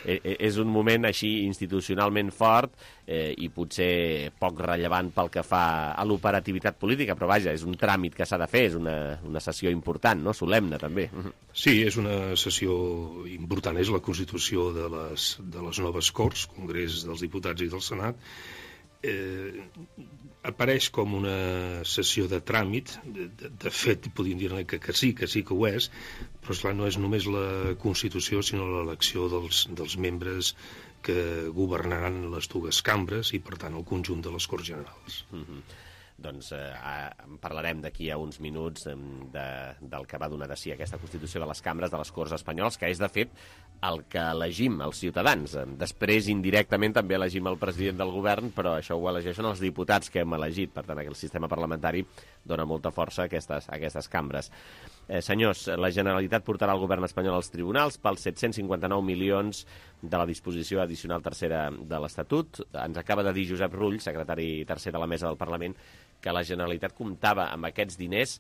És un moment així institucionalment fort i potser poc rellevant pel que fa a l'operativitat política, però vaja, és un tràmit que s'ha de fer, és una sessió important, no? Solemne, també. Sí, és una sessió important, és la constitució de les noves Corts, Congrés dels Diputats i del Senat. Apareix com una sessió de tràmit, de fet, podríem dir que sí que ho és, però esclar, no és només la Constitució, sinó l'elecció dels membres que governaran les dues cambres i, per tant, el conjunt de les Corts Generals. Doncs en parlarem d'aquí a uns minuts del que va donar de si aquesta Constitució de les cambres de les Corts Espanyoles, que és, de fet, el que elegim els ciutadans. Després, indirectament, també elegim el president del govern, però això ho elegeixen els diputats que hem elegit. Per tant, el sistema parlamentari dona molta força a aquestes cambres. Senyors, la Generalitat portarà el govern espanyol als tribunals pels 759 milions de la disposició addicional tercera de l'Estatut. Ens acaba de dir Josep Rull, secretari tercer de la Mesa del Parlament, que la Generalitat comptava amb aquests diners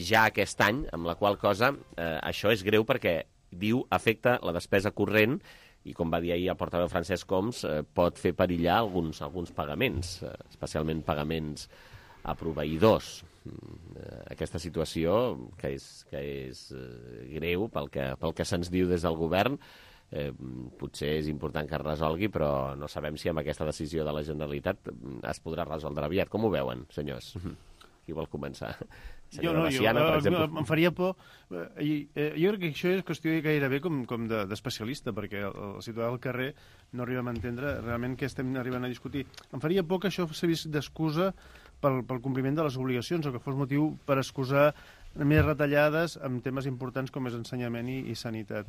ja aquest any, amb la qual cosa això és greu perquè, diu, afecta la despesa corrent i, com va dir ahir el portaveu Francesc Homs, pot fer perillar alguns pagaments, especialment pagaments a proveïdors. Aquesta situació, que és greu pel que se'ns diu des del govern, potser és important que es resolgui, però no sabem si amb aquesta decisió de la Generalitat es podrà resoldre aviat. Com ho veuen, senyors? Qui vol començar? Jo em faria por. Jo crec que això és qüestió gairebé com d'especialista, perquè el ciutadà del carrer no arribem a entendre realment què estem arribant a discutir. Em faria por que això s'ha vist d'excusa pel compliment de les obligacions, o que fos motiu per excusar més retallades en temes importants com és ensenyament i sanitat.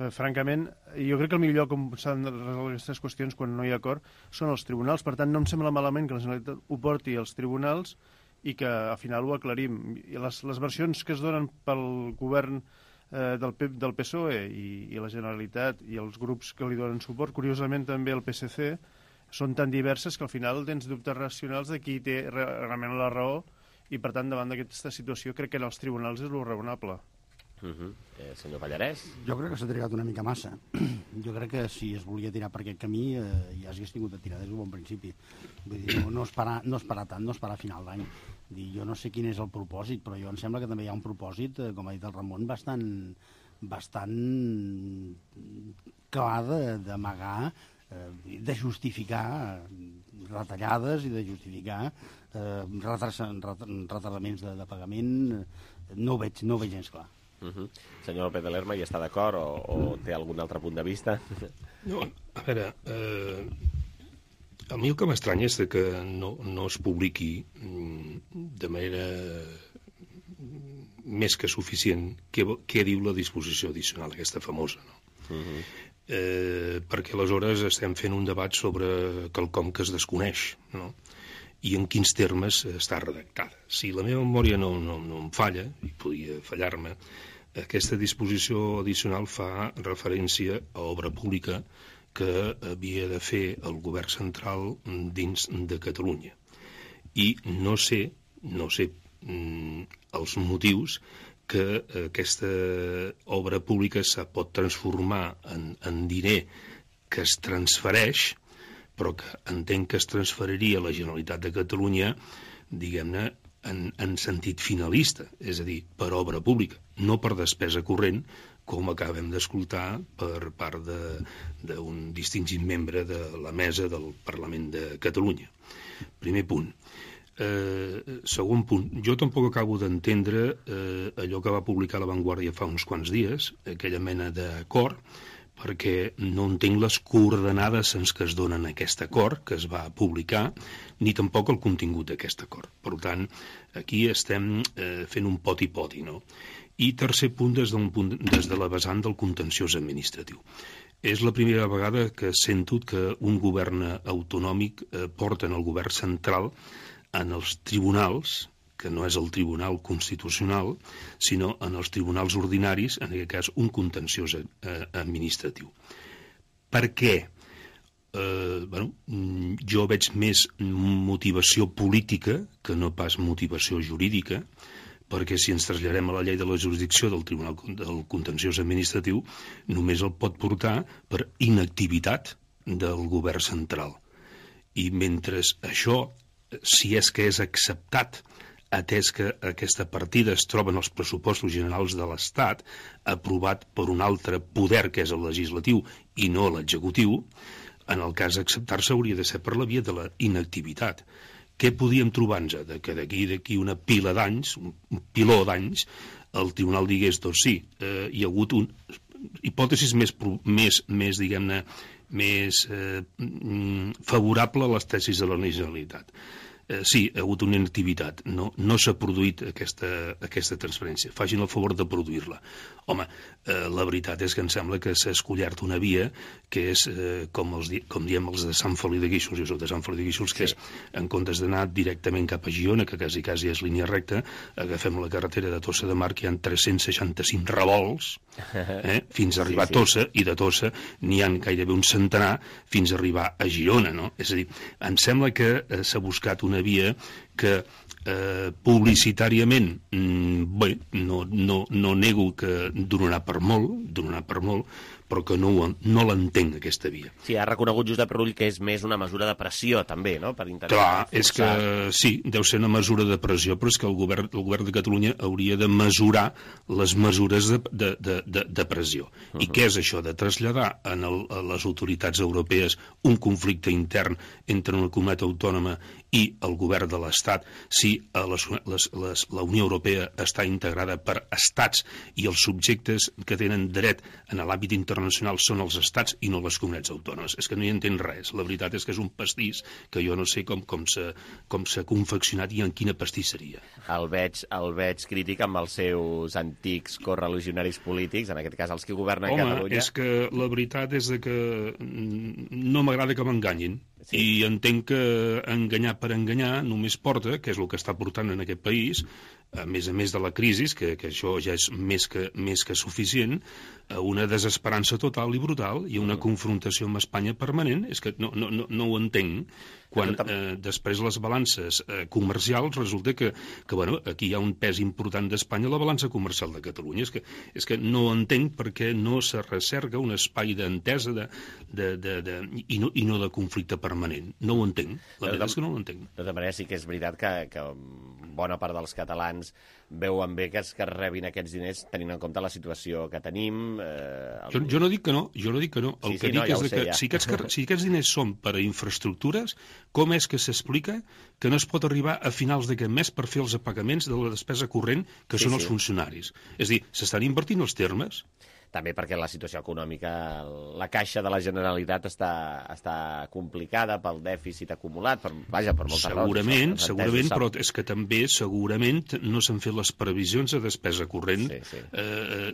Francament, jo crec que el millor lloc on s'han de resoldre aquestes qüestions quan no hi ha acord són els tribunals. Per tant, no em sembla malament que la Generalitat ho porti als tribunals i que al final ho aclarim. Les versions que es donen pel govern del PSOE i la Generalitat i els grups que li donen suport, curiosament també el PSC, són tan diverses que al final tens dubtes racionals de qui té realment la raó i, per tant, davant d'aquesta situació crec que en els tribunals és lo raonable. Senyor Pallarès? Jo crec que s'ha trigat una mica massa. Jo crec que si es volia tirar per aquest camí ja s'hagués tingut de tirar des d'un bon principi. Vull dir, no esperar tant, no esperar a final d'any. Jo no sé quin és el propòsit, però jo em sembla que també hi ha un propòsit, com ha dit el Ramon, bastant clar d'amagar, de justificar retallades i de justificar retardaments de pagament. No ho veig gens clar. Senyor López de Lerma, hi està d'acord o té algun altre punt de vista? No, a veure, a mi el que m'estranya és que no es publiqui de manera més que suficient què diu la disposició addicional, aquesta famosa, no? Perquè aleshores estem fent un debat sobre quelcom que es desconeix, no? I en quins termes està redactada. Si la meva memòria no em falla, i podria fallar-me, aquesta disposició addicional fa referència a obra pública que havia de fer el govern central dins de Catalunya. I no sé els motius que aquesta obra pública se pot transformar en diner que es transfereix, però que entenc que es transferiria a la Generalitat de Catalunya, diguem-ne, en sentit finalista, és a dir, per obra pública, no per despesa corrent, com acabem d'escoltar per part d'un distingit membre de la mesa del Parlament de Catalunya. Primer punt. Segon punt, jo tampoc acabo d'entendre allò que va publicar La Vanguardia fa uns quants dies, aquella mena d'acord, perquè no entenc les coordenades en què es donen aquest acord que es va publicar, ni tampoc el contingut d'aquest acord. Per tant, aquí estem fent un poti-poti, no? I tercer punt, des de la vessant del contenciós administratiu. És la primera vegada que sento que un govern autonòmic porta en el govern central en els tribunals, que no és el Tribunal Constitucional, sinó en els tribunals ordinaris, en aquest cas un contenciós administratiu. Per què? Jo veig més motivació política que no pas motivació jurídica, perquè si ens traslladem a la llei de la jurisdicció del Tribunal del Contenciós Administratiu, només el pot portar per inactivitat del govern central. I mentre això, si és que és acceptat, atès que aquesta partida es troba en els pressupostos generals de l'Estat, aprovat per un altre poder, que és el legislatiu, i no l'executiu, en el cas d'acceptar-se hauria de ser per la via de la inactivitat. Què podíem trobar-nos? Que d'aquí una pila d'anys, un piló d'anys, el tribunal digués, doncs sí, hi ha hagut hipòtesis més diguem-ne, més favorable a les tesis de la Generalitat. Sí, ha hagut una inactivitat, no s'ha produït aquesta transferència. Facin el favor de produir-la. Home, la veritat és que em sembla que s'ha escollert una via que és, com diem els de Sant Feliu de Guíxols, jo soc de Sant Feliu de Guíxols, que és, en comptes d'anar directament cap a Girona, que quasi és línia recta, agafem la carretera de Tossa de Mar, que hi ha 365 revolts, fins a arribar a Tossa, i de Tossa n'hi ha gairebé un centenar fins a arribar a Girona, no? És a dir, em sembla que s'ha buscat una via que publicitàriament, bé, no nego que donarà per molt, però que no l'entenc, aquesta via. Sí, ha reconegut Josep Rull que és més una mesura de pressió, també, no? Per intentar Clar, és que sí, deu ser una mesura de pressió, però és que el govern de Catalunya hauria de mesurar les mesures de pressió. I què és això? De traslladar a les autoritats europees un conflicte intern entre una comunitat autònoma i el govern de l'Estat, si la Unió Europea està integrada per estats i els subjectes que tenen dret en l'àmbit internacional són els estats i no les comunitats autònomes. És que no hi entén res. La veritat és que és un pastís que jo no sé com s'ha confeccionat i en quina pastisseria. El veig crític amb els seus antics correligionaris polítics, en aquest cas els que governen Catalunya. Home, és que la veritat és que no m'agrada que m'enganyin. Sí. I entenc que enganyar per enganyar només porta, que és el que està portant en aquest país, a més de la crisi, que això ja és més que suficient, a una desesperança total i brutal i a una confrontació amb Espanya permanent. És que no ho entenc, quan després les balances comercials resulta que aquí hi ha un pes important d'Espanya a la balança comercial de Catalunya. És que no entenc per què no se recerca un espai d'entesa i no de conflicte permanent. No ho entenc. La veritat és que no ho entenc. De tota manera, sí que és veritat que bona part dels catalans veuen bé que es rebin aquests diners tenint en compte la situació que tenim. Jo no dic que no. El que dic és que si aquests diners són per a infraestructures, com és que s'explica que no es pot arribar a finals d'aquest mes per fer els apagaments de la despesa corrent que són els funcionaris? És a dir, s'estan invertint els termes? També perquè la situació econòmica, la caixa de la Generalitat està complicada pel dèficit acumulat, per moltes raons. Segurament, però és que també segurament no s'han fet les previsions de despesa corrent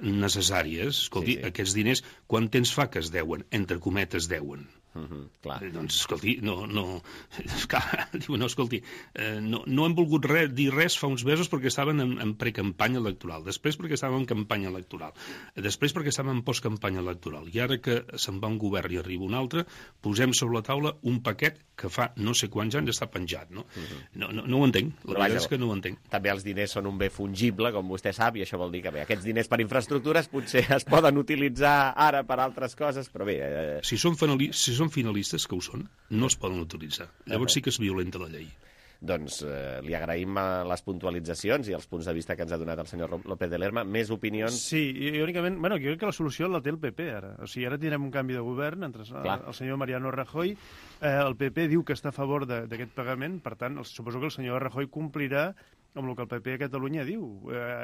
necessàries. Escolti, aquests diners, quant temps fa que es deuen? Entre cometes, deuen. Clar. Doncs, escolti, no hem volgut dir res fa uns mesos perquè estaven en precampanya electoral, després perquè estàvem en campanya electoral, després perquè estàvem en postcampanya electoral, i ara que se'n va un govern i arriba un altre, posem sobre la taula un paquet que fa no sé quants anys està penjat, no? No ho entenc, la veritat és que no ho entenc. També els diners són un bé fungible, com vostè sap, i això vol dir que aquests diners per infraestructures potser es poden utilitzar ara per altres coses, però bé... Si són finalistes, que ho són, no es poden utilitzar. Llavors sí que es violenta la llei. Doncs li agraïm les puntualitzacions i els punts de vista que ens ha donat el senyor López de Lerma. Més opinions? Sí, únicament, jo crec que la solució la té el PP ara. O sigui, ara tindrem un canvi de govern entre el senyor Mariano Rajoy. El PP diu que està a favor d'aquest pagament, per tant, suposo que el senyor Rajoy complirà amb el que el PP a Catalunya diu.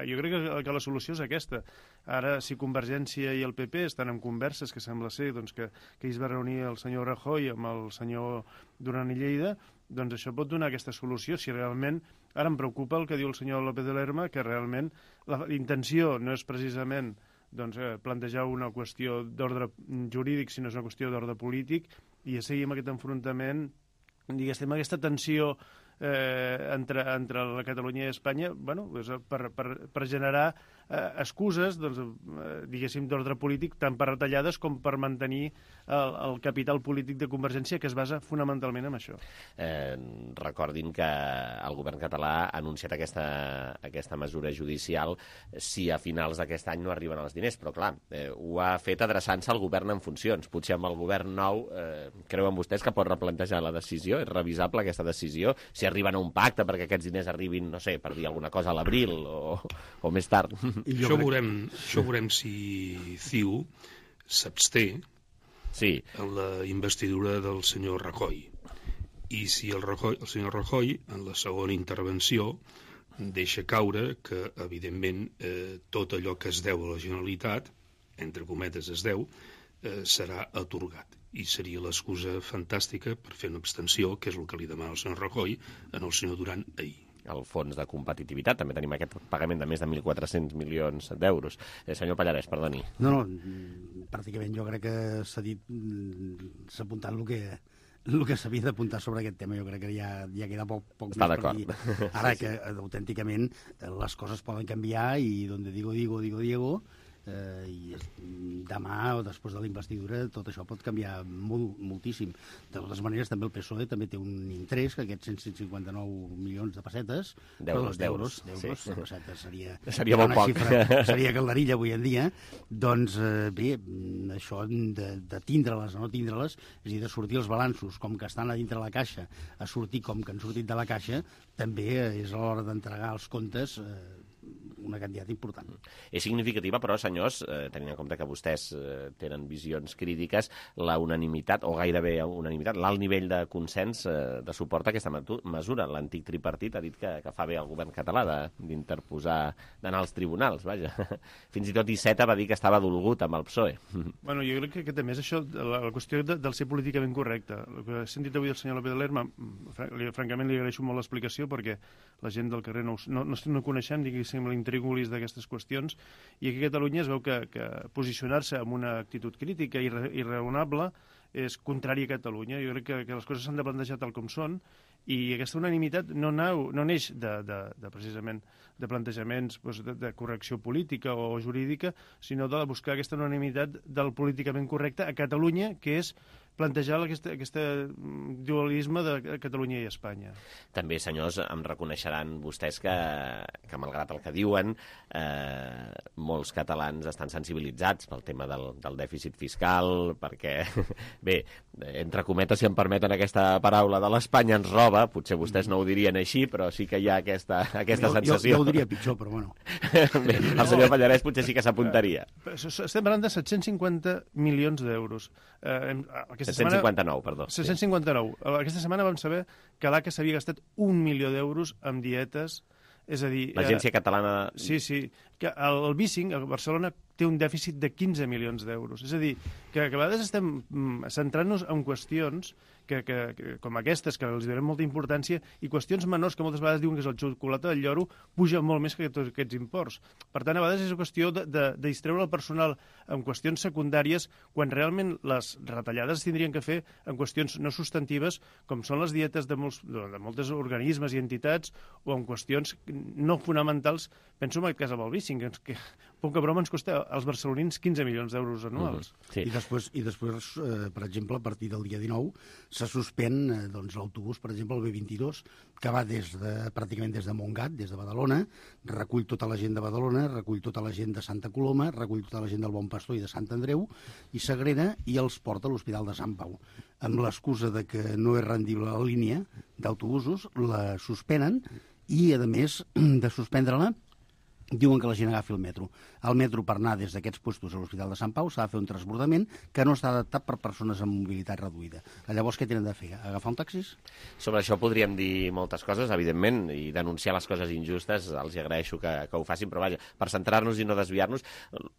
Jo crec que la solució és aquesta. Ara, si Convergència i el PP estan en converses, que sembla ser que es va reunir el senyor Rajoy amb el senyor Duran i Lleida, doncs això pot donar aquesta solució. Si realment, ara em preocupa el que diu el senyor López de Lerma, que realment la intenció no és precisament plantejar una qüestió d'ordre jurídic, sinó és una qüestió d'ordre polític, i ja seguim aquest enfrontament, diguéssim, aquesta tensió entre la Catalunya i Espanya, per generar excuses, diguéssim, d'ordre polític, tant per retallades com per mantenir el capital polític de Convergència, que es basa fonamentalment en això. Recordin que el govern català ha anunciat aquesta mesura judicial si a finals d'aquest any no arriben els diners, però clar, ho ha fet adreçant-se al govern en funcions. Potser amb el govern nou creuen vostès que pot replantejar la decisió? És revisable aquesta decisió? Si arriben a un pacte perquè aquests diners arribin, no sé, per dir alguna cosa a l'abril o més tard. Això veurem si CiU s'absté en la investidura del senyor Rajoy. I si el senyor Rajoy, en la segona intervenció, deixa caure que, evidentment, tot allò que es deu a la Generalitat, entre cometes es deu, serà atorgat. I seria l'excusa fantàstica per fer una abstenció, que és el que li demana el senyor Rajoy en el senyor Duran ahir. El fons de competitivitat, també tenim aquest pagament de més de 1.400 milions d'euros. Senyor Pallarès, perdoni. No, pràcticament jo crec que s'ha apuntat el que s'havia d'apuntar sobre aquest tema. Jo crec que ja queda poc més per dir. Ara que autènticament les coses poden canviar i donde digo, i demà o després de la investidura tot això pot canviar moltíssim. De totes maneres, també el PSOE també té un interès, que aquests 159 milions de pessetes, d'euros, pessetes seria molt poc. Seria calderilla avui en dia. Doncs bé, això de tindre-les o no tindre-les, és a dir, de sortir els balanços com que estan a dintre la caixa, a sortir com que han sortit de la caixa, també és a l'hora d'entregar els comptes una quantitat important. És significativa, però, senyors, tenint en compte que vostès tenen visions crítiques, la unanimitat, o gairebé unanimitat, l'alt nivell de consens de suport a aquesta mesura. L'antic tripartit ha dit que fa bé el govern català d'interposar, d'anar als tribunals, vaja. Fins i tot Iceta va dir que estava dolgut amb el PSOE. Bueno, jo crec que també és això, la qüestió del ser políticament correcte. El que he sentit avui del senyor López de Lerma, francament li agraeixo molt l'explicació, perquè la gent del carrer no coneixem, diguéssim, l'intríngulis d'aquestes qüestions, i aquí a Catalunya es veu que posicionar-se amb una actitud crítica i raonable és contrari a Catalunya. Jo crec que les coses s'han de plantejar tal com són, i aquesta unanimitat no neix precisament de plantejaments de correcció política o jurídica, sinó de buscar aquesta unanimitat del políticament correcte a Catalunya, que és plantejar aquest dualisme de Catalunya i Espanya. També, senyors, em reconeixeran vostès que malgrat el que diuen, molts catalans estan sensibilitzats pel tema del dèficit fiscal, perquè, bé, entre cometes, si em permeten aquesta paraula, de l'Espanya ens roba, potser vostès no ho dirien així, però sí que hi ha aquesta sensació. Jo ho diria pitjor, però bueno. Bé, el senyor Pallarès potser sí que s'apuntaria. Estem parlant de 750 milions d'euros. 759, perdó. 759. Aquesta setmana vam saber que l'ACA s'havia gastat 1 milió d'euros en dietes, és a dir... L'Agència Catalana... Sí, que el Bicing, a Barcelona, té un dèficit de 15 milions d'euros. És a dir, que a vegades estem centrant-nos en qüestions com aquestes, que els donem molta importància, i qüestions menors que moltes vegades diuen que és el xocolata del lloro, puja molt més que tots aquests imports. Per tant, a vegades és una qüestió de distreure el personal en qüestions secundàries, quan realment les retallades es tindrien que fer en qüestions no substantives, com són les dietes de molts organismes i entitats, o en qüestions no fonamentals. Penso en aquest cas amb el Bicing, que poca broma ens costa als barcelonins 15 milions d'euros anuals. I després, per exemple, a partir del dia 19 se suspèn l'autobús, per exemple, el B22, que va pràcticament des de Montgat, des de Badalona, recull tota la gent de Badalona, recull tota la gent de Santa Coloma, recull tota la gent del Bon Pastor i de Sant Andreu, i Sagrera, i els porta a l'Hospital de Sant Pau. Amb l'excusa de que no és rendible la línia d'autobusos, la suspenen i, a més de suspendre-la, diuen que la gent agafi el metro. El metro, per anar des d'aquests puestos a l'Hospital de Sant Pau, s'ha de fer un transbordament que no està adaptat per persones amb mobilitat reduïda. Llavors, què tenen de fer? Agafar un taxi? Sobre això podríem dir moltes coses, evidentment, i denunciar les coses injustes. Els agraeixo que ho facin, però vaja, per centrar-nos i no desviar-nos.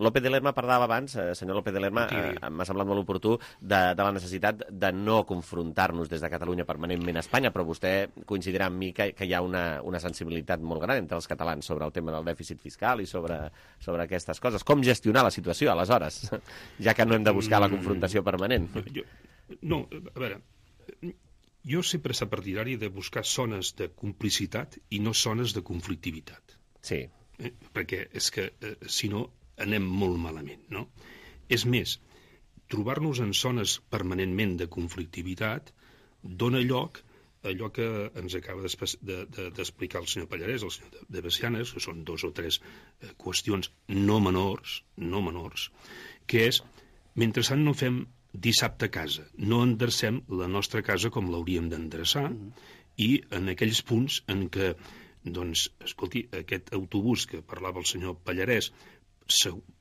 López de Lerma parlava abans, senyor López de Lerma, m'ha semblat molt oportú, de la necessitat de no confrontar-nos des de Catalunya permanentment a Espanya, però vostè coincidirà amb mi que hi ha una sensibilitat molt gran entre els catalans sobre el tema del dèficit fiscal i sobre aquestes coses. Com gestionar la situació, aleshores, ja que no hem de buscar la confrontació permanent? No, a veure, jo sempre he estat partidari de buscar zones de complicitat i no zones de conflictivitat. Sí. Perquè és que, si no, anem molt malament, no? És més, trobar-nos en zones permanentment de conflictivitat dona lloc allò que ens acaba d'explicar el senyor Pallarès, el senyor de Bessianes, que són 2 o 3 qüestions no menors, que és, mentrestant no fem dissabte a casa, no endrecem la nostra casa com l'hauríem d'endreçar, i en aquells punts en què, doncs, escolti, aquest autobús que parlava el senyor Pallarès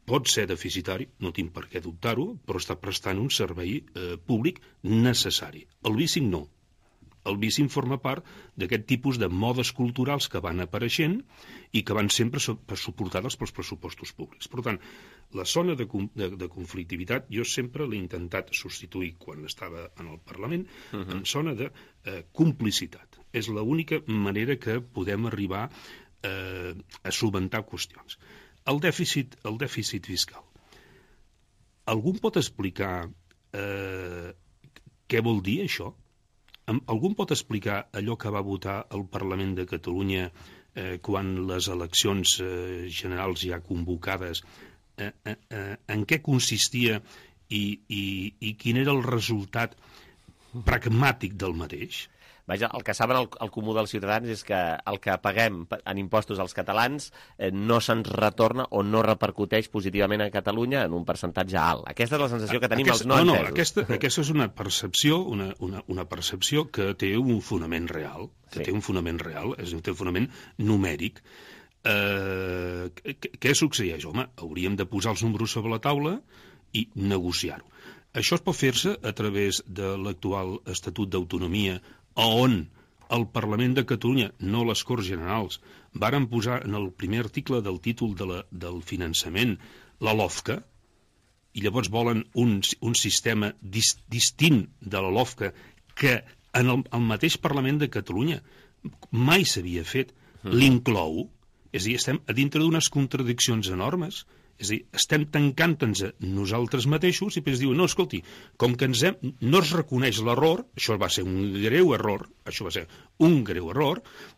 pot ser deficitari, no tinc per què dubtar-ho, però està prestant un servei públic necessari. El bicing no. El bicing forma part d'aquest tipus de modes culturals que van apareixent i que van sempre suportades pels pressupostos públics. Per tant, la zona de conflictivitat jo sempre l'he intentat substituir quan estava en el Parlament en zona de complicitat. És l'única manera que podem arribar a solucionar qüestions. El dèficit fiscal. Algú pot explicar què vol dir això? Algú pot explicar allò que va votar el Parlament de Catalunya quan les eleccions generals ja convocades, en què consistia i quin era el resultat pragmàtic del mateix? Vaja, el que saben el comú dels ciutadans és que el que paguem en impostos als catalans no se'ns retorna o no repercuteix positivament a Catalunya en un percentatge alt. Aquesta és la sensació que tenim els no entesos. Aquesta és una percepció que té un fonament real, té un fonament numèric. Què succeeix? Home, hauríem de posar els números sobre la taula i negociar-ho. Això es pot fer-se a través de l'actual Estatut d'Autonomia, on el Parlament de Catalunya, no les Corts Generals, varen posar en el primer article del títol del finançament la LOFCA, i llavors volen un sistema distint de la LOFCA que en el mateix Parlament de Catalunya mai s'havia fet, l'inclou. És a dir, estem a dintre d'unes contradiccions enormes. És a dir, estem tancant-nos a nosaltres mateixos i després diuen, no, escolti, com que no es reconeix l'error, això va ser un greu error,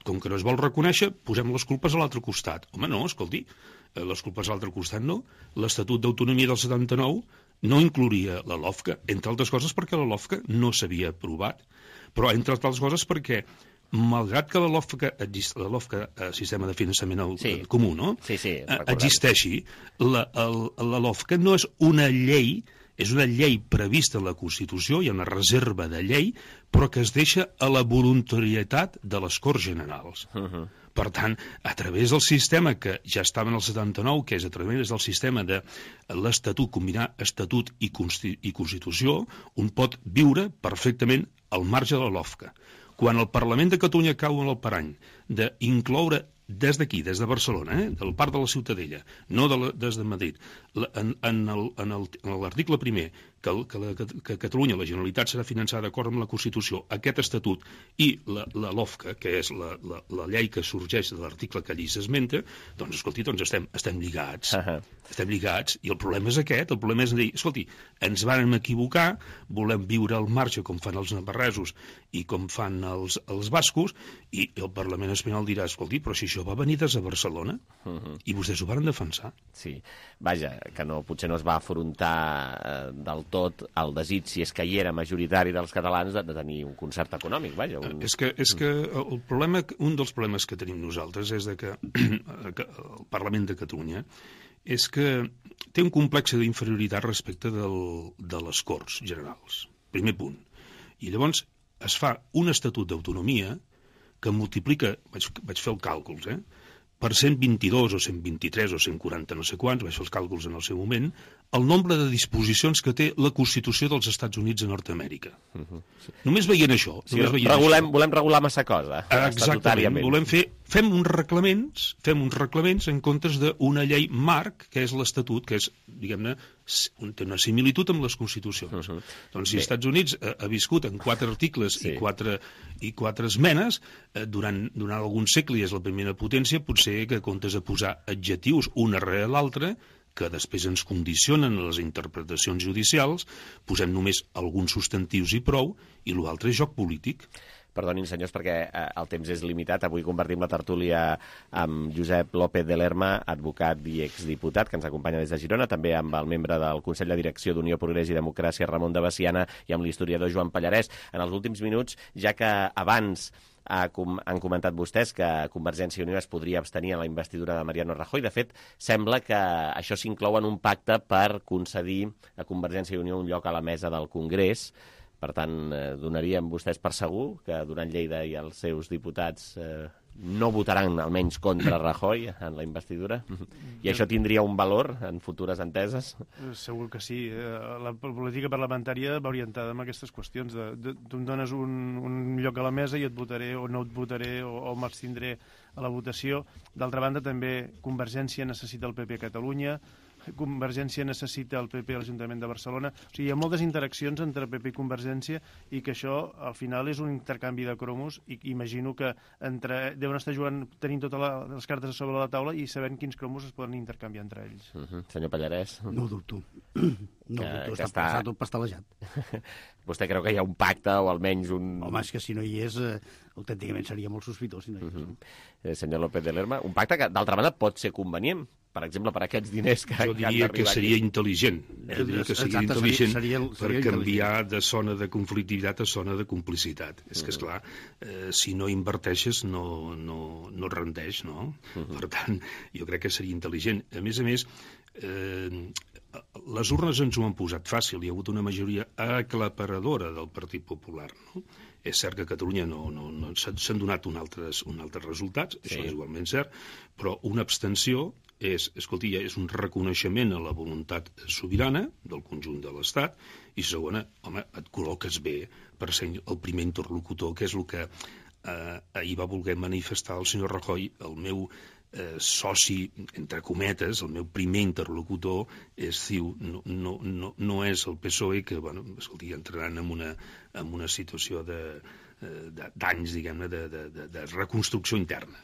com que no es vol reconèixer, posem les culpes a l'altre costat. Home, no, escolti, les culpes a l'altre costat no. L'Estatut d'Autonomia del 79 no inclouria la LOFCA, entre altres coses perquè la LOFCA no s'havia aprovat, però entre altres coses perquè malgrat que la LOFCA, sistema de finançament comú, no? Existeixi, la LOFCA no és una llei, és una llei prevista a la Constitució, hi ha una reserva de llei, però que es deixa a la voluntarietat de les Corts Generals. Per tant, a través del sistema que ja estava en el 79, que és a través del sistema de l'Estatut, combinar Estatut i Constitució, un pot viure perfectament al marge de la LOFCA. Quan el Parlament de Catalunya cau en el parany d'incloure des d'aquí, des de Barcelona, del Parc de la Ciutadella, no des de Madrid, en l'article primer, que Catalunya, la Generalitat, serà finançada d'acord amb la Constitució, aquest Estatut i la LOFCA, que és la llei que sorgeix de l'article que allí s'esmenta, doncs, escolti, estem lligats. Estem lligats, i el problema és aquest. El problema és dir, escolti, ens vàrem equivocar, volem viure al marge com fan els navarresos i com fan els bascos, i el Parlament espanyol dirà, escolti, però si això va venir des de Barcelona, i vostès ho varen defensar. Sí, vaja, que potser no es va afrontar del sobretot el desig, si és que hi era majoritari dels catalans, de tenir un concert econòmic. Vaja, És que el problema, un dels problemes que tenim nosaltres és que el Parlament de Catalunya és que té un complex d'inferioritat respecte de les Corts Generals. Primer punt. I llavors es fa un estatut d'autonomia que multiplica, vaig fer els càlculs, per 122 o 123 o 140 no sé quants, vaig fer els càlculs en el seu moment, el nombre de disposicions que té la Constitució dels Estats Units de Nord-Amèrica. Només veient això... Volem regular massa cosa. Exactament. Fem uns reglaments en comptes d'una llei marc, que és l'Estatut, que és, diguem-ne, té una similitud amb les Constitucions. Doncs si els Estats Units ha viscut en 4 articles i 4 esmenes, durant algun segle i és la primera potència, potser que comptes de posar adjectius una rere l'altra, que després ens condicionen les interpretacions judicials, posem només alguns substantius i prou, i l'altre és joc polític. Perdonin, senyors, perquè el temps és limitat. Avui compartim la tertúlia amb Josep López de Lerma, advocat i exdiputat, que ens acompanya des de Girona, també amb el membre del Consell de Direcció d'Unió, Progrés i Democràcia, Ramon de Baciana, i amb l'historiador Joan Pallarès. En els últims minuts, ja que abans han comentat vostès que Convergència i Unió es podria abstenir en la investidura de Mariano Rajoy. De fet, sembla que això s'inclou en un pacte per concedir a Convergència i Unió un lloc a la mesa del Congrés. Per tant, donarien vostès per segur que Duran Lleida i els seus diputats no votaran almenys contra Rajoy en la investidura? I això tindria un valor en futures enteses? Segur que sí. La política parlamentària va orientada en aquestes qüestions. Tu em dones un lloc a la mesa i et votaré o no et votaré o m'abstindré a la votació. D'altra banda, també Convergència necessita el PP a Catalunya, Convergència necessita el PP a l'Ajuntament de Barcelona. O sigui, hi ha moltes interaccions entre PP i Convergència i que això, al final, és un intercanvi de cromos i imagino que deuen estar jugant, tenint totes les cartes sobre la taula i sabent quins cromos es poden intercanviar entre ells. Senyor Pallarès? No ho dubto. No ho dubto, està tot pastelejat. Vostè creu que hi ha un pacte o almenys un... Home, és que si no hi és, autènticament seria molt sospitós si no hi és. Senyor López de Lerma, un pacte que, d'altra banda, pot ser convenient, per exemple, per aquests diners que han d'arribar aquí. Jo diria que seria intel·ligent. Jo diria que seria intel·ligent per canviar de zona de conflictivitat a zona de complicitat. És que, esclar, si no inverteixes no rendeix, no? Per tant, jo crec que seria intel·ligent. A més, les urnes ens ho han posat fàcil. Hi ha hagut una majoria aclaparadora del Partit Popular, no? És cert que a Catalunya s'han donat uns altres resultats, això és igualment cert, però una abstenció és un reconeixement a la voluntat sobirana del conjunt de l'Estat i segona, home, et col·loques bé per ser el primer interlocutor, que és el que ahir va voler manifestar el senyor Rajoy, el meu soci, entre cometes, el meu primer interlocutor és CiU, no és el PSOE, que, bueno, escolti, entraran en una situació d'anys, diguem-ne, de reconstrucció interna.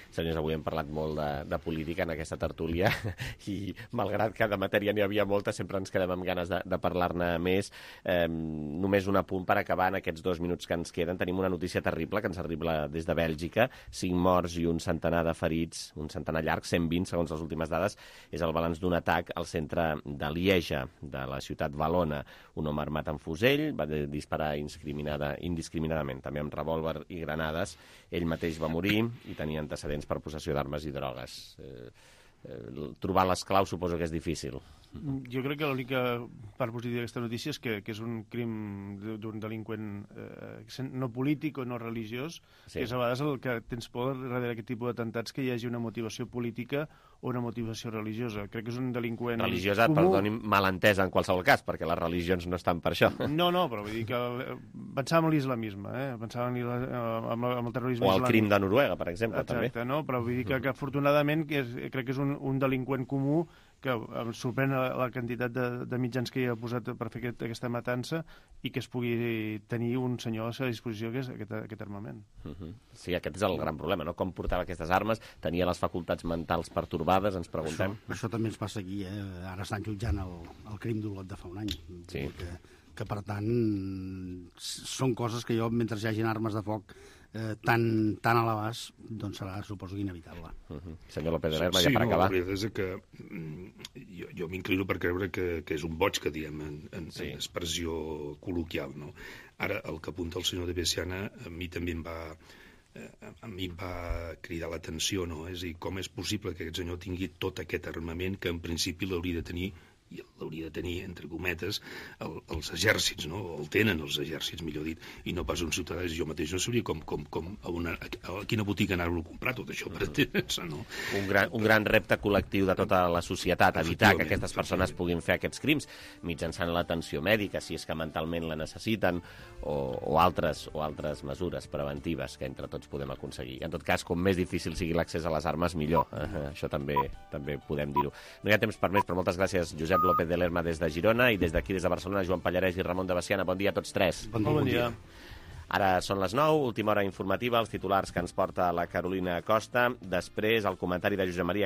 Senyors, avui hem parlat molt de política en aquesta tertúlia i, malgrat que de matèria n'hi havia molta, sempre ens quedem amb ganes de parlar-ne més. Només un apunt per acabar en aquests 2 minuts que ens queden. Tenim una notícia terrible que ens arriba des de Bèlgica. 5 morts i un centenar de ferits, un centenar llarg, 120 segons les últimes dades. És el balanç d'un atac al centre de Lieja, de la ciutat valona. Un home armat amb fusell va disparar indiscriminadament, també amb revòlver i granades. Ell mateix va morir i tenia antecedents per possessió d'armes i drogues. Trobar les claus suposo que és difícil. Jo crec que l'única part positiva d'aquesta notícia és que és un crim d'un delinqüent no polític o no religiós, que és a vegades el que tens por darrere d'aquest tipus d'atemptats, que hi hagi una motivació política o una motivació religiosa. Crec que és un delinqüent religiosa, comú. Perdoni, malentesa en qualsevol cas, perquè les religions no estan per això. No, però vull dir que pensàvem en l'islamisme, pensàvem en el terrorisme islàmic. O el crim de Noruega, per exemple, també. Exacte, no? Però vull dir que afortunadament crec que és un delinqüent comú que em sorprèn la quantitat de mitjans que hi ha posat per fer aquesta matança i que es pugui tenir un senyor a la disposició que és aquest armament. Sí, aquest és el gran problema, no? Com portava aquestes armes, tenia les facultats mentals pertorbades, ens preguntem. Això també ens passa aquí, Ara estan jutjant el crim d'Olot de fa un any. Sí. Que per tant són coses que jo, mentre hi hagin armes de foc tan a l'abast, doncs serà, suposo, inevitable. Senyor López de Lerma, ja per acabar. Sí, la veritat és que jo m'inclino per creure que és un boig, que diem en expressió col·loquial, no? Ara, el que apunta el senyor de Bessiana a mi també em va cridar l'atenció, no? És a dir, com és possible que aquest senyor tingui tot aquest armament que en principi l'hauria de tenir, i l'hauria de tenir, entre cometes, els exèrcits, no? O el tenen els exèrcits, millor dit, i no pas un ciutadà. Jo mateix no sabria a quina botiga anar-lo a comprar tot això per entendre-se, no? Un gran repte col·lectiu de tota la societat, evitar que aquestes persones puguin fer aquests crims mitjançant l'atenció mèdica, si és que mentalment la necessiten, o altres mesures preventives que entre tots podem aconseguir. En tot cas, com més difícil sigui l'accés a les armes, millor. Això també podem dir-ho. No hi ha temps per més, però moltes gràcies, Josep López de Lerma des de Girona, i des d'aquí, des de Barcelona, Joan Pallarès i Ramon de Bessiana. Bon dia a tots tres. Bon dia. Ara són les 9, última hora informativa, els titulars que ens porta la Carolina Costa. Després, el comentari de Josep Maria